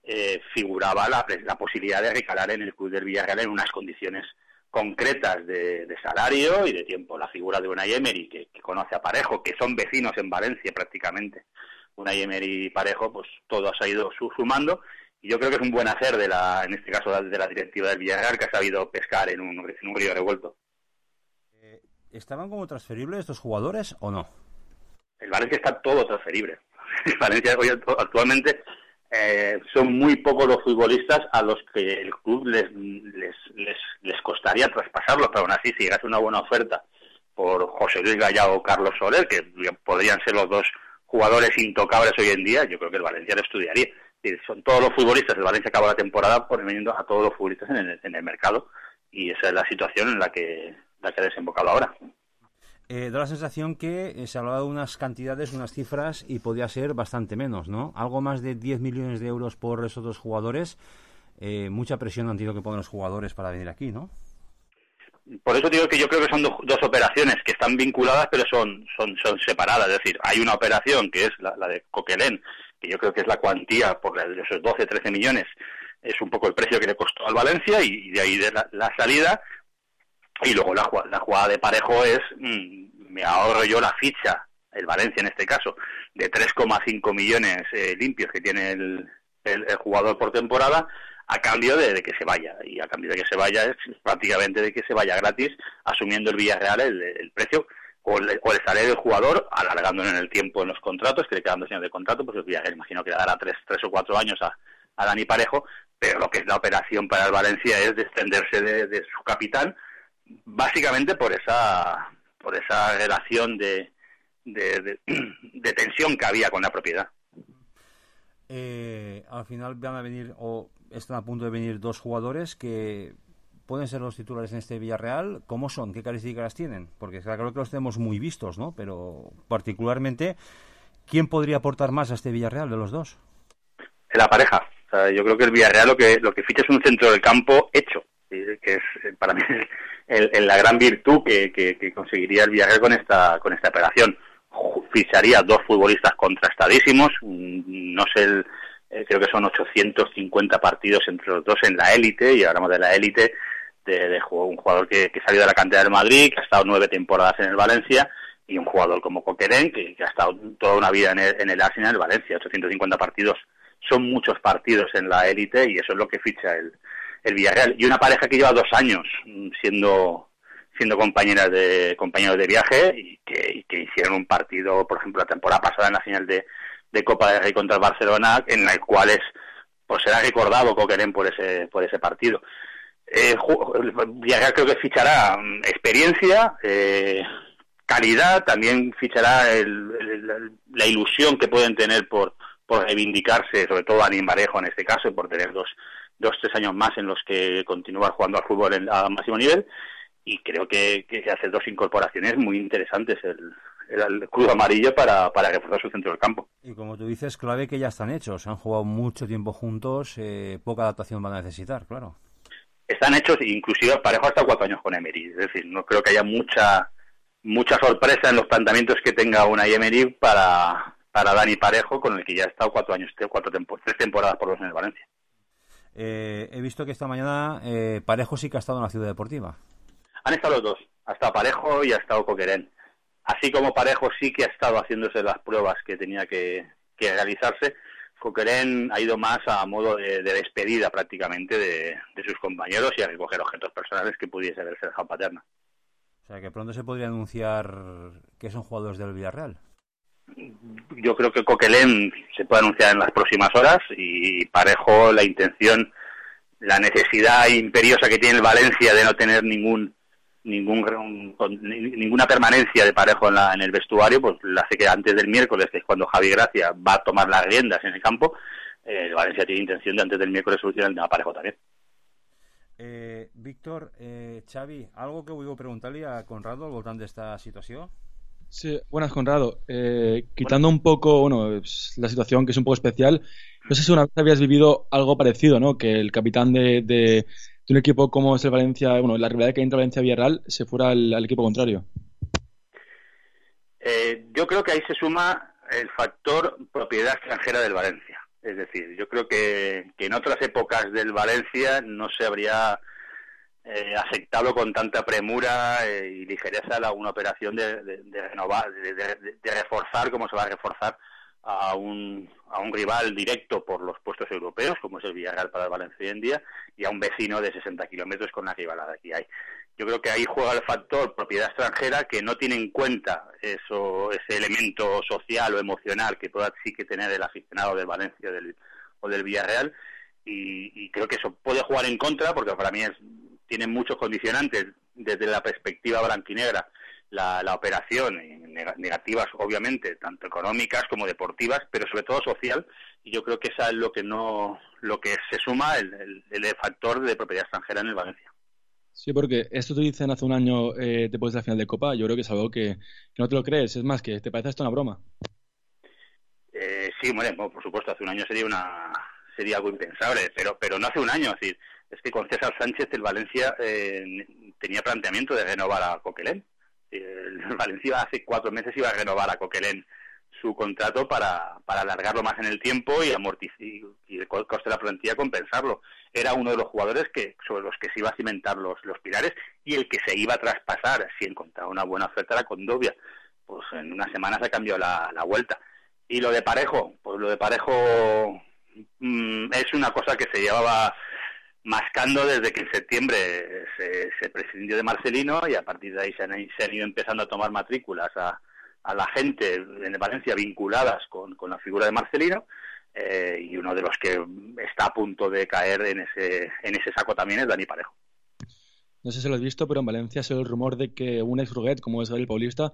eh, figuraba la, la posibilidad de recalar en el club del Villarreal en unas condiciones concretas de, de salario y de tiempo. La figura de Unai Emery, que, que conoce a Parejo, que son vecinos en Valencia prácticamente. Unai Emery y Parejo, pues todo se ha ido sumando. Y yo creo que es un buen hacer, de la, en este caso de la directiva del Villarreal, que ha sabido pescar en un, en un río revuelto. Eh, ¿Estaban como transferibles estos jugadores o no? El Valencia está todo transferible. El Valencia hoy actualmente eh, son muy pocos los futbolistas a los que el club les, les, les, les costaría traspasarlos, pero aún así, si llegase una buena oferta por José Luis Gallardo o Carlos Soler, que podrían ser los dos jugadores intocables hoy en día, yo creo que el Valencia lo estudiaría. Son todos los futbolistas, el Valencia acaba la temporada poniendo a todos los futbolistas en el, en el mercado, y esa es la situación en la que, la que ha desembocado ahora. Eh, da la sensación que eh, se hablaba de unas cantidades, unas cifras, y podía ser bastante menos, ¿no? Algo más de diez millones de euros por esos dos jugadores. Eh, mucha presión han tenido que poner los jugadores para venir aquí, ¿no? Por eso digo que yo creo que son do, dos operaciones que están vinculadas, pero son, son, son separadas. Es decir, hay una operación que es la, la de Coquelin, que yo creo que es la cuantía por esos doce, trece millones, es un poco el precio que le costó al Valencia, y de ahí de la, la salida. Y luego la, la jugada de Parejo es, mmm, me ahorro yo la ficha, el Valencia en este caso, de tres coma cinco millones eh, limpios que tiene el, el, el jugador por temporada, a cambio de, de que se vaya. Y a cambio de que se vaya es prácticamente de que se vaya gratis, asumiendo el Villarreal el, el precio o el, o el salario del jugador, alargándolo en el tiempo en los contratos, que le quedan dos años de contrato, pues el Villarreal imagino que le dará tres, tres o cuatro años a, a Dani Parejo, pero lo que es la operación para el Valencia es descenderse de, de su capitán, básicamente por esa por esa relación de, de, de, de tensión que había con la propiedad. Eh, al final van a venir, o están a punto de venir, dos jugadores que pueden ser los titulares en este Villarreal. ¿Cómo son? ¿Qué características tienen? Porque creo que los tenemos muy vistos, ¿no? Pero particularmente, ¿quién podría aportar más a este Villarreal de los dos? La pareja. O sea, yo creo que el Villarreal lo que lo que ficha es un centro del campo hecho, que es para mí el, el, la gran virtud que, que, que conseguiría el Villarreal con esta con esta operación. Ficharía dos futbolistas contrastadísimos, no sé, el, eh, creo que son ochocientos cincuenta partidos entre los dos en la élite, y hablamos de la élite, de, de un jugador que, que salió de la cantera del Madrid, que ha estado nueve temporadas en el Valencia, y un jugador como Coquelin, que, que ha estado toda una vida en el, en el Arsenal, Valencia, ochocientos cincuenta partidos, son muchos partidos en la élite y eso es lo que ficha el, el Villarreal. Y una pareja que lleva dos años siendo siendo compañeras de compañeros de viaje y que, y que hicieron un partido, por ejemplo, la temporada pasada en la final de, de Copa del Rey contra el Barcelona, en el cual es, pues será recordado Coquelin por ese por ese partido. Eh, Villarreal creo que fichará experiencia, eh, calidad, también fichará el, el, la ilusión que pueden tener por, por reivindicarse, sobre todo Dani Parejo en este caso, por tener dos, dos, tres años más en los que continuar jugando al fútbol en, a máximo nivel. Y creo que, que hace dos incorporaciones muy interesantes el, el, el club amarillo para, para reforzar su centro del campo. Y como tú dices, clave que ya están hechos, han jugado mucho tiempo juntos, eh, poca adaptación van a necesitar, claro. Están hechos, inclusive Parejo hasta cuatro años con Emery, es decir, no creo que haya mucha mucha sorpresa en los planteamientos que tenga Unai Emery para, para Dani Parejo, con el que ya ha estado cuatro años, cuatro tempo, tres temporadas por los en el Valencia. Eh, he visto que esta mañana eh, Parejo sí que ha estado en la Ciudad Deportiva. Han estado los dos, ha estado Parejo y ha estado Coquelin. Así como Parejo sí que ha estado haciéndose las pruebas que tenía que, que realizarse, Coquelin ha ido más a modo de, de despedida prácticamente de, de sus compañeros y a recoger objetos personales que pudiese haberse dejado Paterna. O sea, que pronto se podría anunciar que son jugadores del Villarreal. Yo creo que Coquelin se puede anunciar en las próximas horas y Parejo, la intención, la necesidad imperiosa que tiene el Valencia de no tener ningún ningún ninguna permanencia de Parejo en, la, en el vestuario, pues la hace que antes del miércoles, que es cuando Javi Gracia va a tomar las riendas en el campo, eh, el Valencia tiene intención de antes del miércoles solucionar el tema Parejo también. Eh, Víctor, eh, Xavi, algo que vull preguntar-li a Conrado al voltant d'esta situació? Sí, buenas, Conrado. Eh, quitando un poco, bueno, la situación que es un poco especial, no sé si una vez habías vivido algo parecido, ¿no? Que el capitán de, de, de un equipo como es el Valencia, bueno, la rivalidad que hay entre Valencia y Villarreal se fuera al, al equipo contrario. Eh, yo creo que ahí se suma el factor propiedad extranjera del Valencia. Es decir, yo creo que, que en otras épocas del Valencia no se habría eh, aceptado con tanta premura eh, y ligereza la, una operación de, de, de renovar, de, de, de reforzar como se va a reforzar a un, a un rival directo por los puestos europeos, como es el Villarreal para el Valencia hoy en día, y a un vecino de sesenta kilómetros con la rivalidad que hay. Yo creo que ahí juega el factor propiedad extranjera, que no tiene en cuenta eso, ese elemento social o emocional que pueda sí que tener el aficionado del Valencia del, o del Villarreal, y, y creo que eso puede jugar en contra, porque para mí es, tiene muchos condicionantes desde la perspectiva blanquinegra la, la operación, negativas obviamente, tanto económicas como deportivas, pero sobre todo social, y yo creo que esa es lo que no lo que se suma el, el, el factor de propiedad extranjera en el Valencia. Sí, porque esto te dicen hace un año eh, después de la final de Copa, yo creo que es algo que, que no te lo crees, es más, que te parece esto una broma. Eh, sí, bueno, por supuesto, hace un año sería una sería algo impensable, pero pero no hace un año, es decir, es que con César Sánchez el Valencia eh, tenía planteamiento de renovar a Coquelin. El Valencia hace cuatro meses iba a renovar a Coquelin su contrato para, para alargarlo más en el tiempo y amortizar y el coste de la plantilla compensarlo. Era uno de los jugadores que sobre los que se iba a cimentar los, los pilares y el que se iba a traspasar si encontraba una buena oferta era Condovia. Pues en unas semanas ha cambiado la, la vuelta. Y lo de Parejo, pues lo de Parejo mmm, es una cosa que se llevaba mascando desde que en septiembre se, se prescindió de Marcelino y a partir de ahí se han, se han ido empezando a tomar matrículas a, a la gente en Valencia vinculadas con, con la figura de Marcelino, eh, y uno de los que está a punto de caer en ese en ese saco también es Dani Parejo. No sé si lo has visto, pero en Valencia se oye el rumor de que un ex Ruguet, como es el Paulista,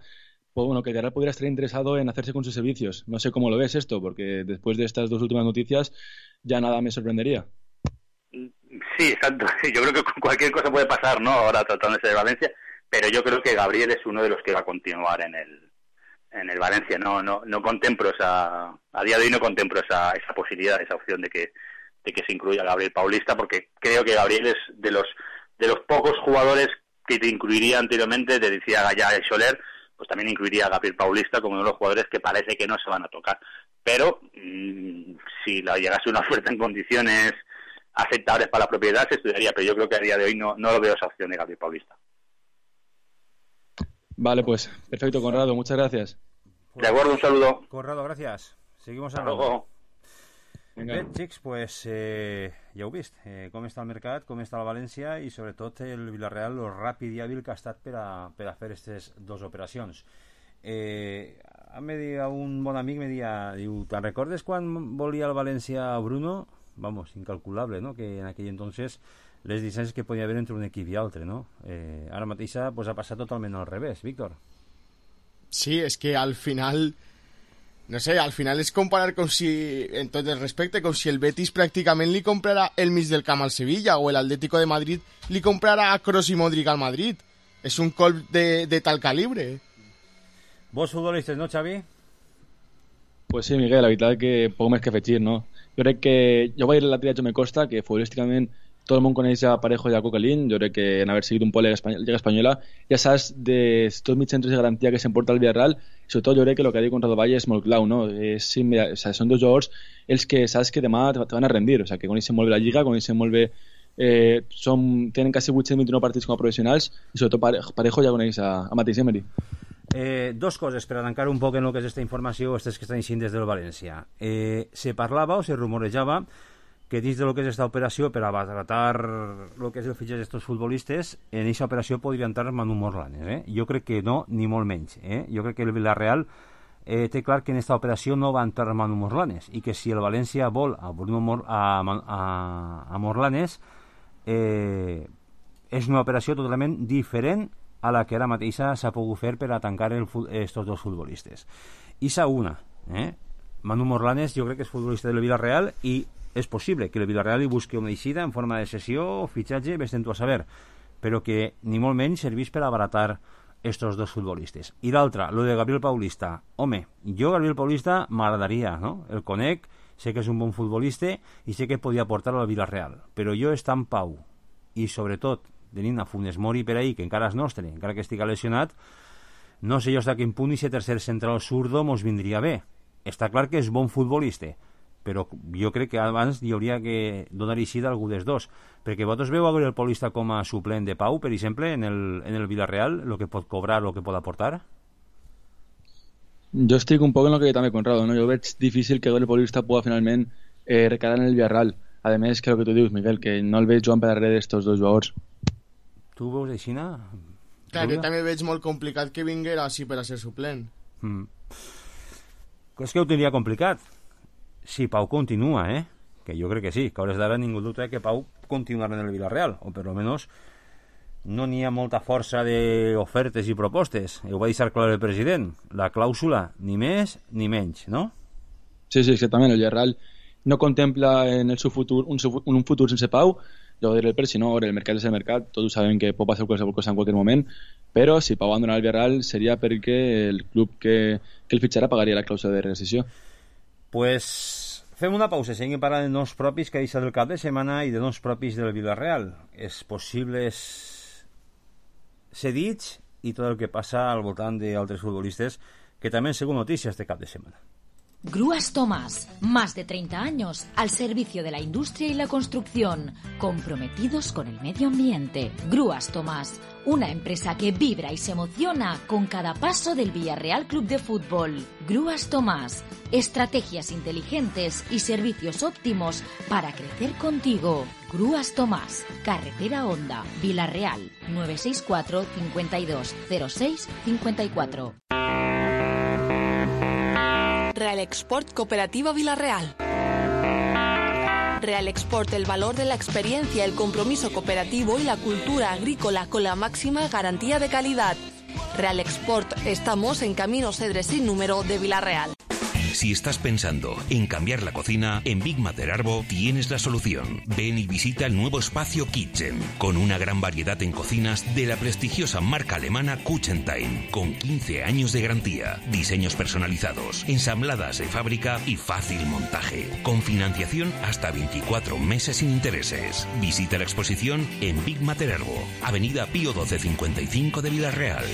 pues bueno, que Villarreal pudiera estar interesado en hacerse con sus servicios. No sé cómo lo ves esto, porque después de estas dos últimas noticias ya nada me sorprendería. Sí, exacto. Yo creo que cualquier cosa puede pasar, ¿no? Ahora tratándose de Valencia, pero yo creo que Gabriel es uno de los que va a continuar en el en el Valencia. No no no contemplo esa a día de hoy no contemplo esa esa posibilidad, esa opción de que de que se incluya a Gabriel Paulista, porque creo que Gabriel es de los de los pocos jugadores que te incluiría anteriormente, te decía Gallá y Soler, pues también incluiría a Gabriel Paulista como uno de los jugadores que parece que no se van a tocar. Pero mmm, si la llegase una oferta en condiciones aceptables para la propiedad se estudiaría, pero yo creo que a día de hoy no, no lo veo esa opción de Gabriel Paulista. Vale, pues perfecto, Conrado, muchas gracias. De acuerdo, un saludo. Conrado, gracias. Seguimos Hasta hablando. luego. Bé, xics, pues, eh, ja heu vist eh, com està el mercat, com està la València i sobretot el Villarreal, lo ràpid i hàbil que ha estat per a, per a fer aquestes dues operacions. Eh, em deia un bon amic, me deia, diu, te'n recordes quan volia el València a Bruno? Vamos, incalculable, no? Que en aquell entonces les distàncies que podia haver entre un equip i altre, no? Eh, ara mateix pues, ha passat totalment al revés, Víctor. Sí, es que al final... No sé, al final es comparar com si, en tot el respecte, com si el Betis pràcticament li comprara el mig del camp al Sevilla o el Atlético de Madrid li comprara a Kroos i Modric al Madrid. És un colp de, de tal calibre. Vos futbolistes, no, Xavi? Pues sí, Miguel, la veritat que poc més que afegir, no? Jo crec que... Jo vaig ir a la tria me costa, que futbolísticament tot el món coneix a Parejo i a Coquelin. Jo crec que en haver seguit un poc la Lliga Espanyola ja saps de tots els centres de garantia que s'emporta el Villarreal. I sobretot jo crec que el que ha dit Conrado Valle és molt clau, no? És, sí, mira, o sea, són dos jugadors els que saps que demà te van a rendir, o sea, que coneixen molt bé la Lliga, coneixen molt bé, eh, són, tenen quasi vuit-cents vint-i-nou partits com a professionals i sobretot Parejo ja coneix a, a Mateix Emery. Eh, dos coses per arrencar un poc en el que és aquesta informació, aquestes que estan eixint des del València. Eh, se parlava o se rumorejava que dins del que és aquesta operació per abaratar el que és el fitxatge d'estos futbolistes, en aquesta operació podria entrar Manu Morlanes. Eh? Jo crec que no, ni molt menys. Eh? Jo crec que el Villarreal eh, té clar que en aquesta operació no va entrar Manu Morlanes i que si el València vol a, Bruno Mor a, a, a Morlanes eh, és una operació totalment diferent a la que ara mateixa s'ha pogut fer per a tancar el, estos dos futbolistes. I sa una, eh? Manu Morlanes jo crec que és futbolista del Villarreal i és possible que el Villarreal hi busqui una eixida en forma de cessió o fitxatge, vés-te'n tu a saber, però que ni molt menys serveix per abaratar estos dos futbolistes. I l'altra, lo de Gabriel Paulista. Home, jo Gabriel Paulista m'agradaria, no? El conec, sé que és un bon futbolista i sé que podia portar al Villarreal, però jo està en pau i sobretot tenint a Funes Mori per ahí, que encara és nostre, encara que estigui lesionat, no sé jo hasta quin punt i si tercer central zurdo mos vindria bé. Està clar que és bon futbolista, però jo crec que abans hi hauria que donar eixida a algú dels dos, perquè vosaltres veu a Gabriel Paulista com a suplent de Pau, per exemple, en el, en el Villarreal, el que pot cobrar, el que pot aportar? Jo estic un poc en el que també Conrado, no? Jo veig difícil que Gabriel Paulista pueda finalment eh, recalar en el Villarreal. A més, que el que tu dius, Miguel, que no el veig jugant per darrere d'estos dos jugadors. Tu veus aixina? Clar, jo també veig molt complicat que vinguera així per a ser suplent. Mm. És que ho tindria complicat. Si Pau continua, eh? Que jo crec que sí, que a hores d'ara ningú dubta que Pau continuarà en el Villarreal, o per lo menos no n'hi ha molta força d'ofertes i propostes. Ho va deixar clar el president. La clàusula, ni més ni menys, no? Sí, sí, exactament. El Villarreal no contempla en el seu futur un, un futur sense Pau. Jo ho diré per si no, el mercat és el mercat, tots sabem que pot passar qualsevol cosa en qualsevol moment, però si Pau abandona el Villarreal seria perquè el club que, que el fitxarà pagaria la clàusula de rescissió. Pues fem una pausa, seguim parlant de noms propis que ha deixat el cap de setmana i de noms propis del Villarreal, els possibles cedits i tot el que passa al voltant d'altres futbolistes que també han sigut notícies de cap de setmana. Grúas Tomás, más de treinta años al servicio de la industria y la construcción, comprometidos con el medio ambiente. Grúas Tomás, una empresa que vibra y se emociona con cada paso del Villarreal Club de Fútbol. Grúas Tomás, estrategias inteligentes y servicios óptimos para crecer contigo. Grúas Tomás, Carretera Honda, Villarreal, nueve seis cuatro, cinco dos, cero seis, cinco cuatro. Real Export Cooperativa Villarreal. Real Export, el valor de la experiencia, el compromiso cooperativo y la cultura agrícola con la máxima garantía de calidad. Real Export, estamos en Camino Cedres sin número de Villarreal. Si estás pensando en cambiar la cocina, en Big Mater Arbo tienes la solución. Ven y visita el nuevo espacio Kitchen, con una gran variedad en cocinas de la prestigiosa marca alemana Kuchentime, con quince años de garantía, diseños personalizados, ensambladas de fábrica y fácil montaje, con financiación hasta veinticuatro meses sin intereses. Visita la exposición en Big Mater Arbo, Avenida Pío doce cincuenta y cinco de Villarreal.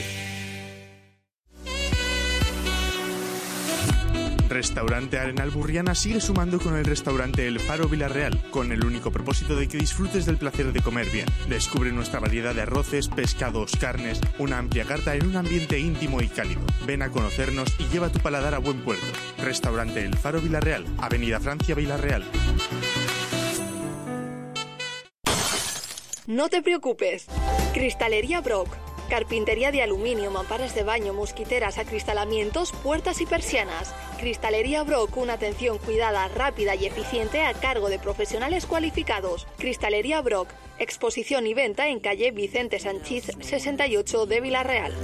Restaurante Arenal Burriana sigue sumando con el restaurante El Faro Villarreal, con el único propósito de que disfrutes del placer de comer bien. Descubre nuestra variedad de arroces, pescados, carnes, una amplia carta en un ambiente íntimo y cálido. Ven a conocernos y lleva tu paladar a buen puerto. Restaurante El Faro Villarreal, Avenida Francia Villarreal. No te preocupes. Cristalería Brock. Carpintería de aluminio, mamparas de baño, mosquiteras, acristalamientos, puertas y persianas. Cristalería Brock, una atención cuidada, rápida y eficiente a cargo de profesionales cualificados. Cristalería Brock, exposición y venta en calle Vicente Sanchís sesenta y ocho de Villarreal.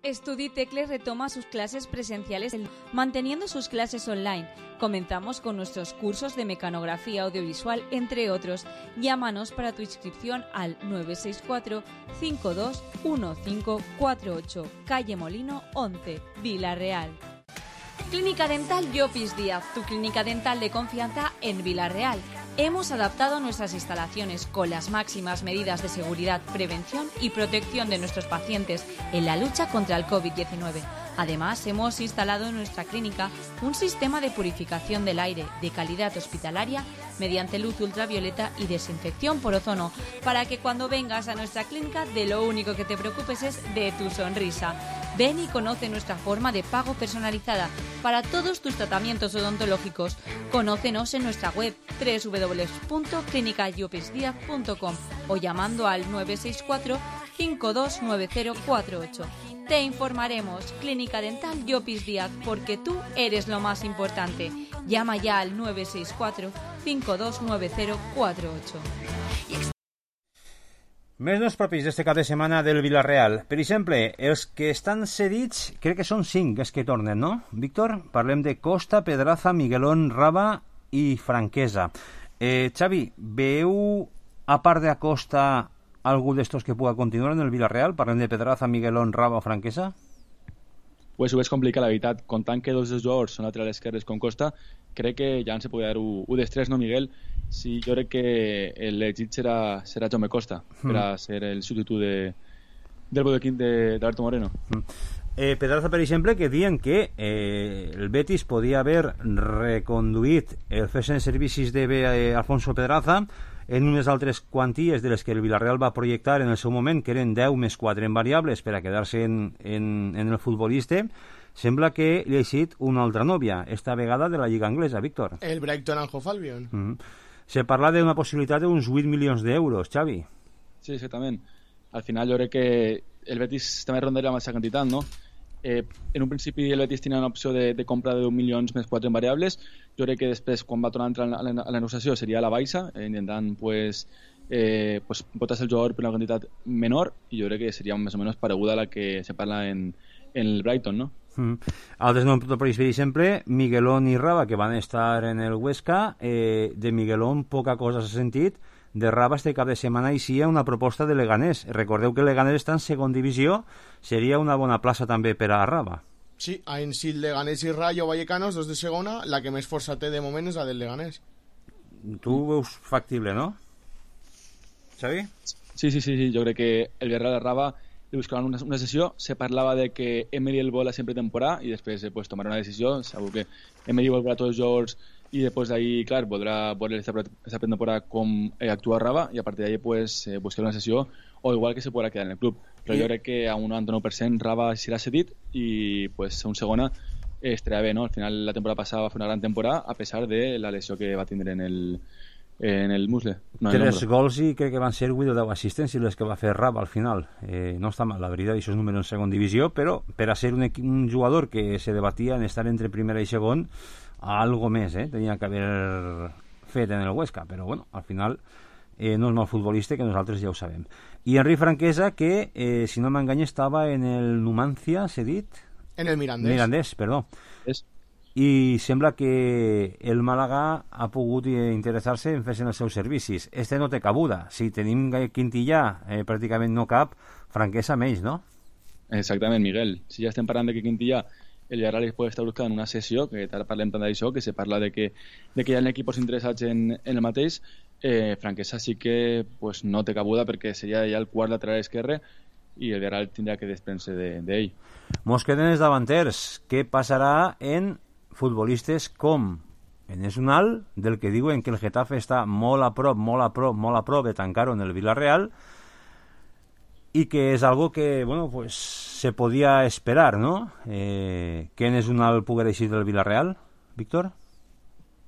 Estuditecle retoma sus clases presenciales manteniendo sus clases online. Comenzamos con nuestros cursos de mecanografía audiovisual, entre otros. Llámanos para tu inscripción al nueve seis cuatro, cinco dos uno cinco cuatro ocho, calle Molino once, Villarreal. Clínica Dental Llopis Díaz, tu clínica dental de confianza en Villarreal. Hemos adaptado nuestras instalaciones con las máximas medidas de seguridad, prevención y protección de nuestros pacientes en la lucha contra el COVID diecinueve. Además, hemos instalado en nuestra clínica un sistema de purificación del aire de calidad hospitalaria mediante luz ultravioleta y desinfección por ozono, para que cuando vengas a nuestra clínica de lo único que te preocupes es de tu sonrisa. Ven y conoce nuestra forma de pago personalizada para todos tus tratamientos odontológicos. Conócenos en nuestra web doble u doble u doble u punto clínica llopis díaz punto com o llamando al nueve seis cuatro, cinco dos nueve cero cuatro ocho. Te informaremos. Clínica Dental Llopis Díaz, porque tú eres lo más importante. Llama ya al nueve seis cuatro, cinco dos nueve cero cuatro ocho. Més nos propis d'este cap de setmana del Villarreal. Per exemple, els que estan cedits, crec que són cinc els que tornen, no? Víctor, parlem de Costa, Pedraza, Miguelón, Raba i Franquesa. Eh, Xavi, veu, a part de Acosta, algú d'estos que puga continuar en el Villarreal? Parlem de Pedraza, Miguelón, Raba o Franquesa? Pues ho veig complicat, la veritat. Comptant que dos dels jugadors són laterals esquerres com Costa, crec que ja en se podria dar un dels tres, no, Miguel? Sí, jo crec que l'elegit serà, serà Jaume Costa mm. per a ser el substitut de, del bodequín d'Alberto Moreno. Mm. Eh, Pedraza, per exemple, que diuen que eh, el Betis podia haver reconduït el cesen de servicis de eh, Alfonso Pedraza en unes altres quanties de les que el Villarreal va projectar en el seu moment, que eren deu més quatre en variables per a quedar-se en, en, en el futbolista. Sembla que li ha eixit una altra nòvia, esta vegada de la Lliga Anglesa, Víctor. El Brighton and Hove Albion. Mm-hmm. Se parla d'una possibilitat d'uns vuit milions d'euros, Xavi. Sí, exactament. Al final jo crec que el Betis també rondaria amb aquesta quantitat, no? Eh, en un principi el Betis tenia una opció de, de compra de deu milions més quatre en variables. Jo crec que després, quan va tornar a entrar a la, a la negociació, seria a la baixa, eh, intentant pues, eh, pues, botar-se el jugador per una quantitat menor, i jo crec que seria més o menys pareguda a la que se parla en, en el Brighton, no? Mm. Altres noms, per exemple, Miguelón i Raba, que van estar en el Huesca. Eh, de Miguelón poca cosa s'ha sentit. De Raba este cap de setmana hi sia una proposta de Leganés. Recordeu que Leganés està en segon divisió, seria una bona plaça també per a Raba. Sí, en si el Leganés i Rayo Vallecanos, dos de segona, la que més força té de moment és la del Leganés. Tu ho veus factible, no? Xavi? Sí, sí, sí, sí. Jo crec que el Villarreal de Raba li buscaven una, una sessió. Se parlava de que Emery el vol a sempre temporada i després eh, pues, tomar una decisió. Segur que Emery volverà a tots els jocs i després d'ahí, clar, podrà veure esta temporada com eh, actua Raba i a partir d'ahí pues, eh, buscar una sessió o igual que se podrà quedar en el club. Però jo crec que a un noranta-nou per cent Raba serà cedit i pues, a un segona eh, estarà bé, no? Al final la temporada passada va fer una gran temporada a pesar de la lesió que va tindre en el, en el musle. No, Tres gols i crec que van ser vuit o deu assistències les que va fer Raba al final. Eh, no està mal, la veritat, això és número en segon divisió, però per a ser un, un jugador que se debatia en estar entre primera i segon, algo més, eh? Tenia que haver fet en el Huesca, però bueno, al final eh, no és mal futbolista, que nosaltres ja ho sabem. I Henry Franquesa, que, eh, si no m'engany, estava en el Numancia, s'ha dit? En el Mirandés. Mirandés, perdó. És... I sembla que el Màlaga ha pogut interessar-se en fer-se els seus servicis. Este no té cabuda. Si tenim Quintillà, eh, pràcticament no cap, Franquesa menys, no? Exactament, Miguel. Si ja estem parlant de que Quintillà el Villarreal pot estar buscant una sessió, que ara parlem tant d'això, que se parla de que, de que hi ha equips interessats en, en el mateix, eh, Franquesa sí que pues, no té cabuda perquè seria ja el quart lateral esquerre i el Villarreal tindrà que desprendre d'ell. De, Mos queden els davanters. Què passarà en futbolistes com Enes Unal, del que diuen que el Getafe està molt a prop, molt a prop, molt a prop de tancar-ho en el Villarreal, y que es algo que, bueno, pues se podía esperar, ¿no? Eh, que Enes Unal pudiera ir del Villarreal, Víctor.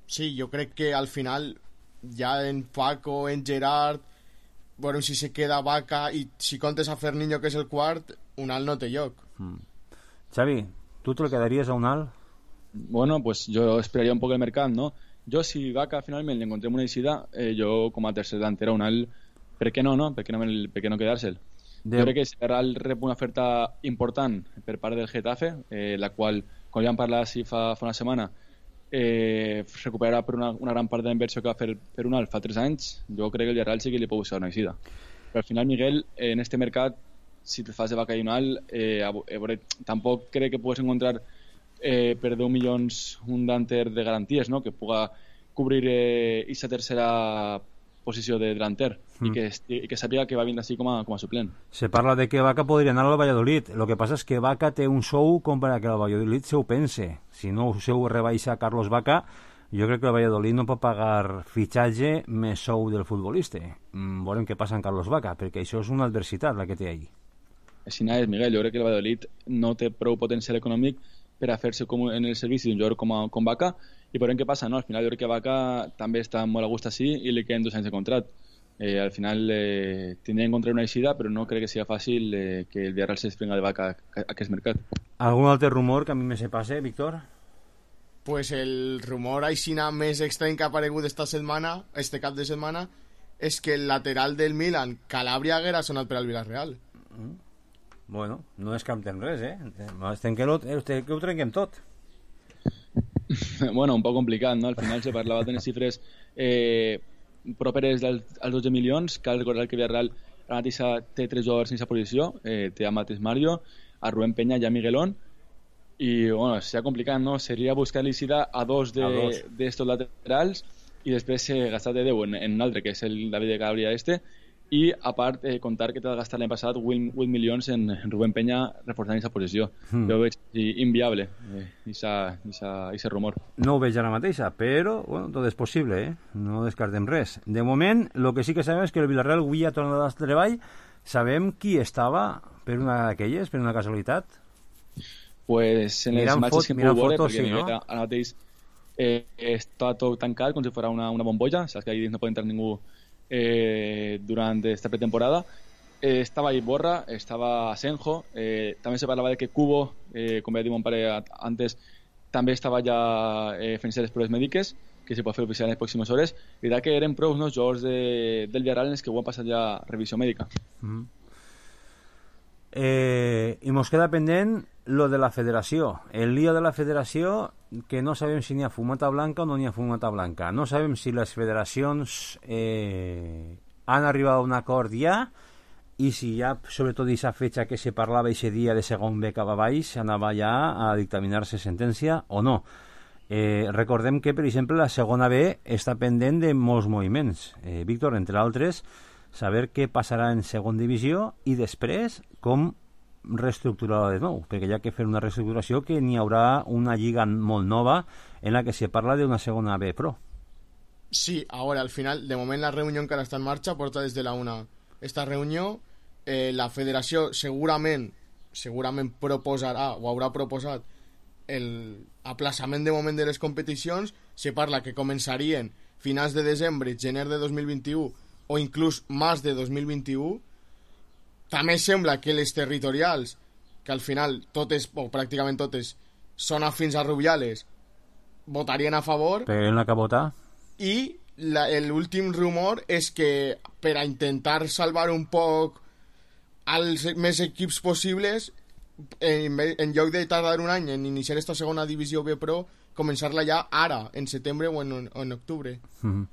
Sí, yo creo que al final, ya en Paco, en Gerard, bueno, si se queda Vaca y si contes a Ferniño, que es el quart, Unal no té lloc. Mm. Xavi, ¿tú te lo quedarías a Unal? Bueno, pues yo esperaría un poco el mercado, ¿no? Yo, si Vaca finalmente le encontré una visita, eh, yo como a tercer delantero Unal, ¿per què no, no? ¿Per què no, per què no quedar-se'l? De... Jo crec que si Real rep una oferta important per part del Getafe, eh, la qual, com ja vam parlar sí, fa, fa una setmana, eh, recuperarà per una, una gran part de la inversió que va fer per Unal fa tres anys, jo crec que el Real sí que li pot buscar una visita. Però al final, Miguel, eh, en este mercat, si te fas de Vaca i Unal, eh, eh, tampoc crec que pugues encontrar eh, per deu milions un delanter de garanties, no? Que puga cobrir aquesta eh, tercera posició de delanter mm. i, que, i que sàpiga que va vindre així com a, com a suplent. Se parla de que Vaca podria anar al Valladolid. Lo que passa és que Vaca té un sou com per a que el Valladolid se ho pense. Si no se ho rebaixa Carlos Vaca, jo crec que el Valladolid no pot pagar fitxatge més sou del futbolista. Mm, veurem què passa amb Carlos Vaca, perquè això és una adversitat la que té ahí. Així és, Miguel. Jo crec que el Valladolid no té prou potencial econòmic per a fer-se com en el servici d'un jugador com, a, com Vaca, i veurem què passa, no? Al final jo crec que Vaca també està molt a gust així i li queden dos anys de contrat. Eh, al final eh, tindrien que encontrar una eixida, però no crec que sigui fàcil eh, que el Villarreal se desprenga de Vaca a, a aquest mercat. ¿Algún altre rumor que a mi me se passe, Víctor? Pues el rumor aixina més estrany que ha aparegut esta setmana, este cap de setmana, és que el lateral del Milan, Calabria, haguera sonat per al Villarreal. Mm. Bueno, no descartem res, eh? Estem que, lo, que ho trenquem tot. Bueno, un poc complicat, no? Al final se parlava de les xifres eh, properes als dotze milions. Cal recordar que Villarreal ara mateix té tres jugadors en aquesta posició, eh, té a Matis Mario, a Rubén Peña i a Miguelón, i bueno, seria complicat, no? Seria buscar l'eixida a dos d'estos de, laterals i després eh, gastar de deu en, en un altre, que és el David de Calabria este, i a part eh, contar que t'ha gastat l'any passat vuit milions en, en Rubén Peña reforçant aquesta posició. Mm. Jo ho veig inviable, aquest rumor. No ho veig ara mateixa, però bueno, tot és possible, eh? No descartem res. De moment, el que sí que sabem és que el Villarreal avui ha tornat al treball. Sabem qui estava per una d'aquelles, per una casualitat? Pues en les imatges que hem pogut veure, perquè sí, no? Ara mateix eh, està tot tancat com si fos una, una bombolla, saps que ahí no pot entrar ningú Eh, durante esta pretemporada. Eh, estaba Iborra, estaba Asenjo, eh, también se parlava de que Cubo, eh, com ja dit mon pare antes, també estava ja eh, fent les proves mèdiques, que se pot fer oficial en les pròximes hores. I que eren prou uns jugadors de, del Villarreal en els que ho han passat ja revisió mèdica. Mm. Eh, I mos queda pendent lo de la federació, el lío de la federació, que no sabem si n'hi ha fumata blanca o no n'hi ha fumata blanca. No sabem si les federacions eh, han arribat a un acord ja, i si ja, sobretot aquesta fetxa que se parlava aquest dia de segon B cap a baix, anava ja a dictaminar-se sentència o no. Eh, recordem que, per exemple, la segona B està pendent de molts moviments. Eh, Víctor, entre altres, saber què passarà en segon divisió i després com reestructurar de nou, perquè hi ha que fer una reestructuració que n'hi haurà una lliga molt nova en la que se parla d'una segona B Pro. Sí, ahora al final, de moment la reunió encara està en marxa, porta des de la una esta reunió, eh, la federació segurament segurament proposarà o haurà proposat el aplaçament de moment de les competicions. Se parla que començarien finals de desembre, gener de dos mil vint-i-u o inclús març de dos mil vint-i-u. També sembla que les territorials, que al final totes, o pràcticament totes, són afins a Rubiales, votarien a favor. Però en la que votar. I l'últim rumor és que per a intentar salvar un poc als més equips possibles, en, en lloc de tardar un any en iniciar esta segona divisió B Pro, començar-la ja ara, en setembre o en, o en octubre. Mm-hmm.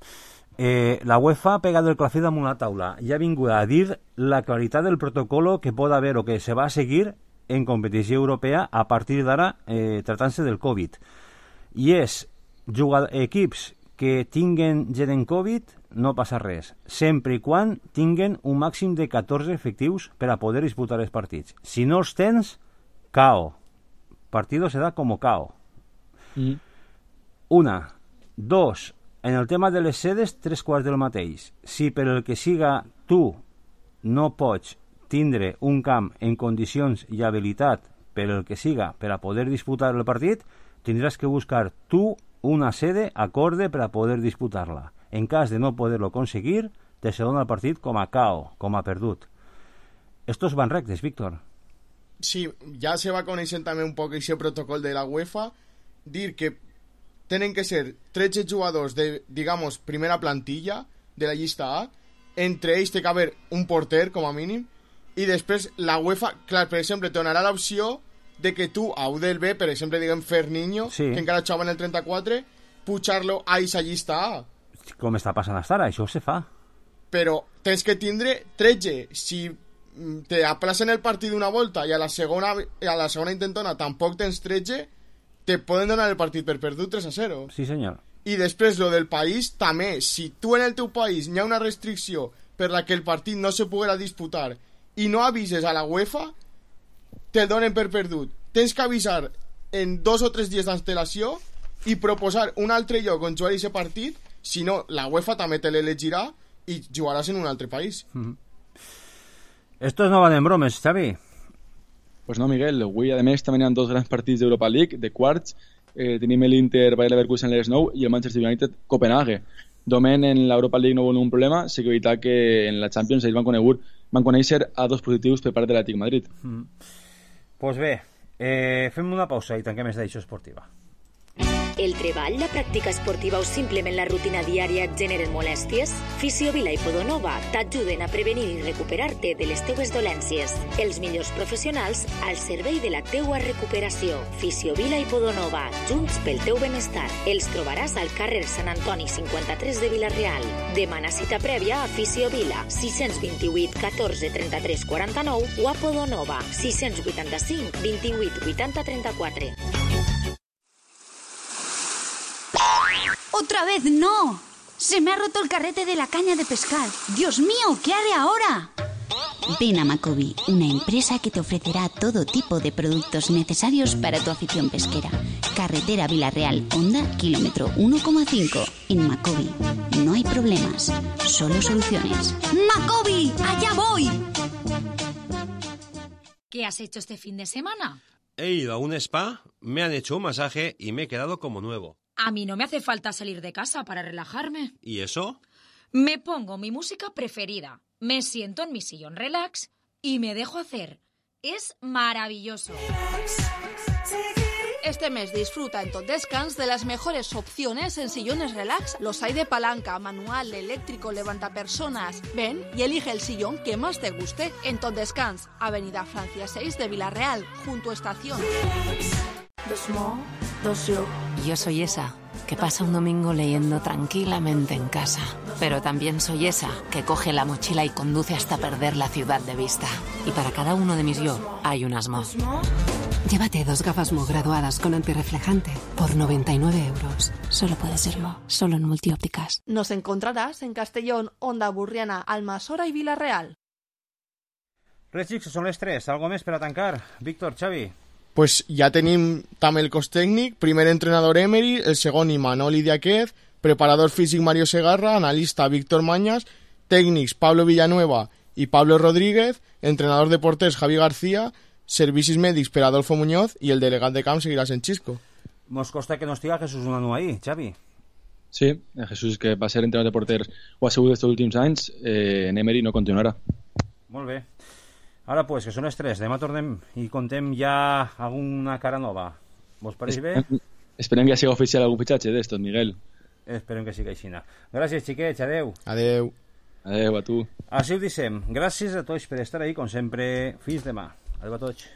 Eh, la UEFA ha pegado el clafet damunt la taula i ha vingut a dir la claritat del protocolo que pot haver o que se va a seguir en competició europea a partir d'ara, eh, tratant-se del Covid. I és jugar, equips que tinguen gent en Covid, no passa res, sempre i quan tinguen un màxim de catorze efectius per a poder disputar els partits. Si no els tens, cao. Partido se da como cao. Mm. Una. Dos. En el tema de les sedes, tres quarts del mateix. Si per el que siga tu no pots tindre un camp en condicions i habilitat per el que siga per a poder disputar el partit, tindràs que buscar tu una sede acorde per a poder disputar-la. En cas de no poder-lo conseguir, te se dona el partit com a K O, com a perdut. Estos van rectes, Víctor. Sí, ja se va coneixent també un poc aquest protocol de la UEFA, dir que tenen que ser tretze jugadors de, digamos, primera plantilla de la llista A, entre ells té que haver un porter, com a mínim, i després la UEFA, clar, per exemple, te donarà l'opció de que tu, a U del B, per exemple, diguem Ferniño, sí, que encara jugava en el trenta-quatre, pujar-lo a aquesta llista A. Com està passant hasta ara, això se fa. Però tens que tindre tretze. Si te aplacen el partit d'una volta i a la segona, a la segona intentona tampoc tens tretze, te poden donar el partit per perdut tres a zero. Sí, senyor. I després, lo del país, també. Si tu en el teu país hi ha una restricció per la que el partit no se poguera disputar i no avises a la UEFA, te donen per perdut. Tens que avisar en dos o tres dies d'antelació i proposar un altre lloc on jugar aquest partit, si no, la UEFA també te l'elegirà i jugaràs en un altre país. Mm-hmm. Estos no van en bromes, Xavi. Pues no, Miguel, avui a més també hi ha dos grans partits d'Europa League, de quarts. Eh, tenim l'Inter Bayer Leverkusen les nou i el Manchester United Copenhague. Domen en l'Europa League no vol un problema, sí que veritat que en la Champions ells van conegut, van conèixer a dos positius per part de l'Atlètic Madrid. Mm. Pues bé, eh, fem una pausa i tanquem esta edició esportiva. El treball, la pràctica esportiva o simplement la rutina diària et generen molèsties? Fisiovila i Podonova t'ajuden a prevenir i recuperar-te de les teues dolències. Els millors professionals al servei de la teua recuperació. Fisiovila i Podonova, junts pel teu benestar. Els trobaràs al carrer Sant Antoni cinquanta-tres de Vila-real. Demana cita prèvia a Fisiovila, sis dos vuit, catorze, trenta-tres, quaranta-nou o a Podonova, sis vuitanta-cinc, vint-i-vuit, vuitanta, trenta-quatre. ¡Otra vez no! ¡Se me ha roto el carrete de la caña de pescar! ¡Dios mío! ¿Qué haré ahora? Ven a Macobi, una empresa que te ofrecerá todo tipo de productos necesarios para tu afición pesquera. Carretera Vila-real, Honda, kilómetro uno coma cinco. En Macobi no hay problemas, solo soluciones. ¡Macobi! ¡Allá voy! ¿Qué has hecho este fin de semana? He ido a un spa, me han hecho un masaje y me he quedado como nuevo. A mí no me hace falta salir de casa para relajarme. ¿Y eso? Me pongo mi música preferida, me siento en mi sillón relax y me dejo hacer. Es maravilloso. Este mes disfruta en Tot Descans de las mejores opciones en sillones relax. Los hay de palanca, manual, eléctrico, levantapersonas. Ven y elige el sillón que más te guste. En Tot Descans, Avenida Francia seis de Vila-real, junto a Estación. Yo soy esa que pasa un domingo leyendo tranquilamente en casa. Pero también soy esa que coge la mochila y conduce hasta perder la ciudad de vista. Y para cada uno de mis yo hay un Asmo. Llévate dos gafas Mo graduadas con antirreflejante por noventa y nueve euros. Solo puede ser Mo, solo en Multiópticas. Nos encontrarás en Castellón, Onda Burriana, Almassora y Vila-real. Res, xics, són les tres. Algo més per a tancar? Víctor, Xavi. Pues ja tenim també el cos tècnic, primer entrenador Emery, el segon Imanol Idiáquez, preparador físic Mario Segarra, analista Víctor Mañas, tècnics Pablo Villanueva i Pablo Rodríguez, entrenador de porters Javi García, servicis mèdics per Adolfo Muñoz i el delegat de camp seguirà sent Xisco. Mos costa que no estiga Jesús Unanú ahí, Xavi. Sí, Jesús, que va ser entrenador de porters ho ha sigut estos últims anys, eh, en Emery no continuarà. Molt bé. Ara, pues, que són les tres. Demà tornem i contem ja alguna cara nova. Vos pareix bé? Esperem, esperem que ja sigui oficial algun fitxatge d'estos, Miguel. Esperem que sigui així. Gràcies, xiquets. Adeu. Adeu. Adeu a tu. Així ho dissem. Gràcies a tots per estar ahí, com sempre. Fins demà. Adeu a tots.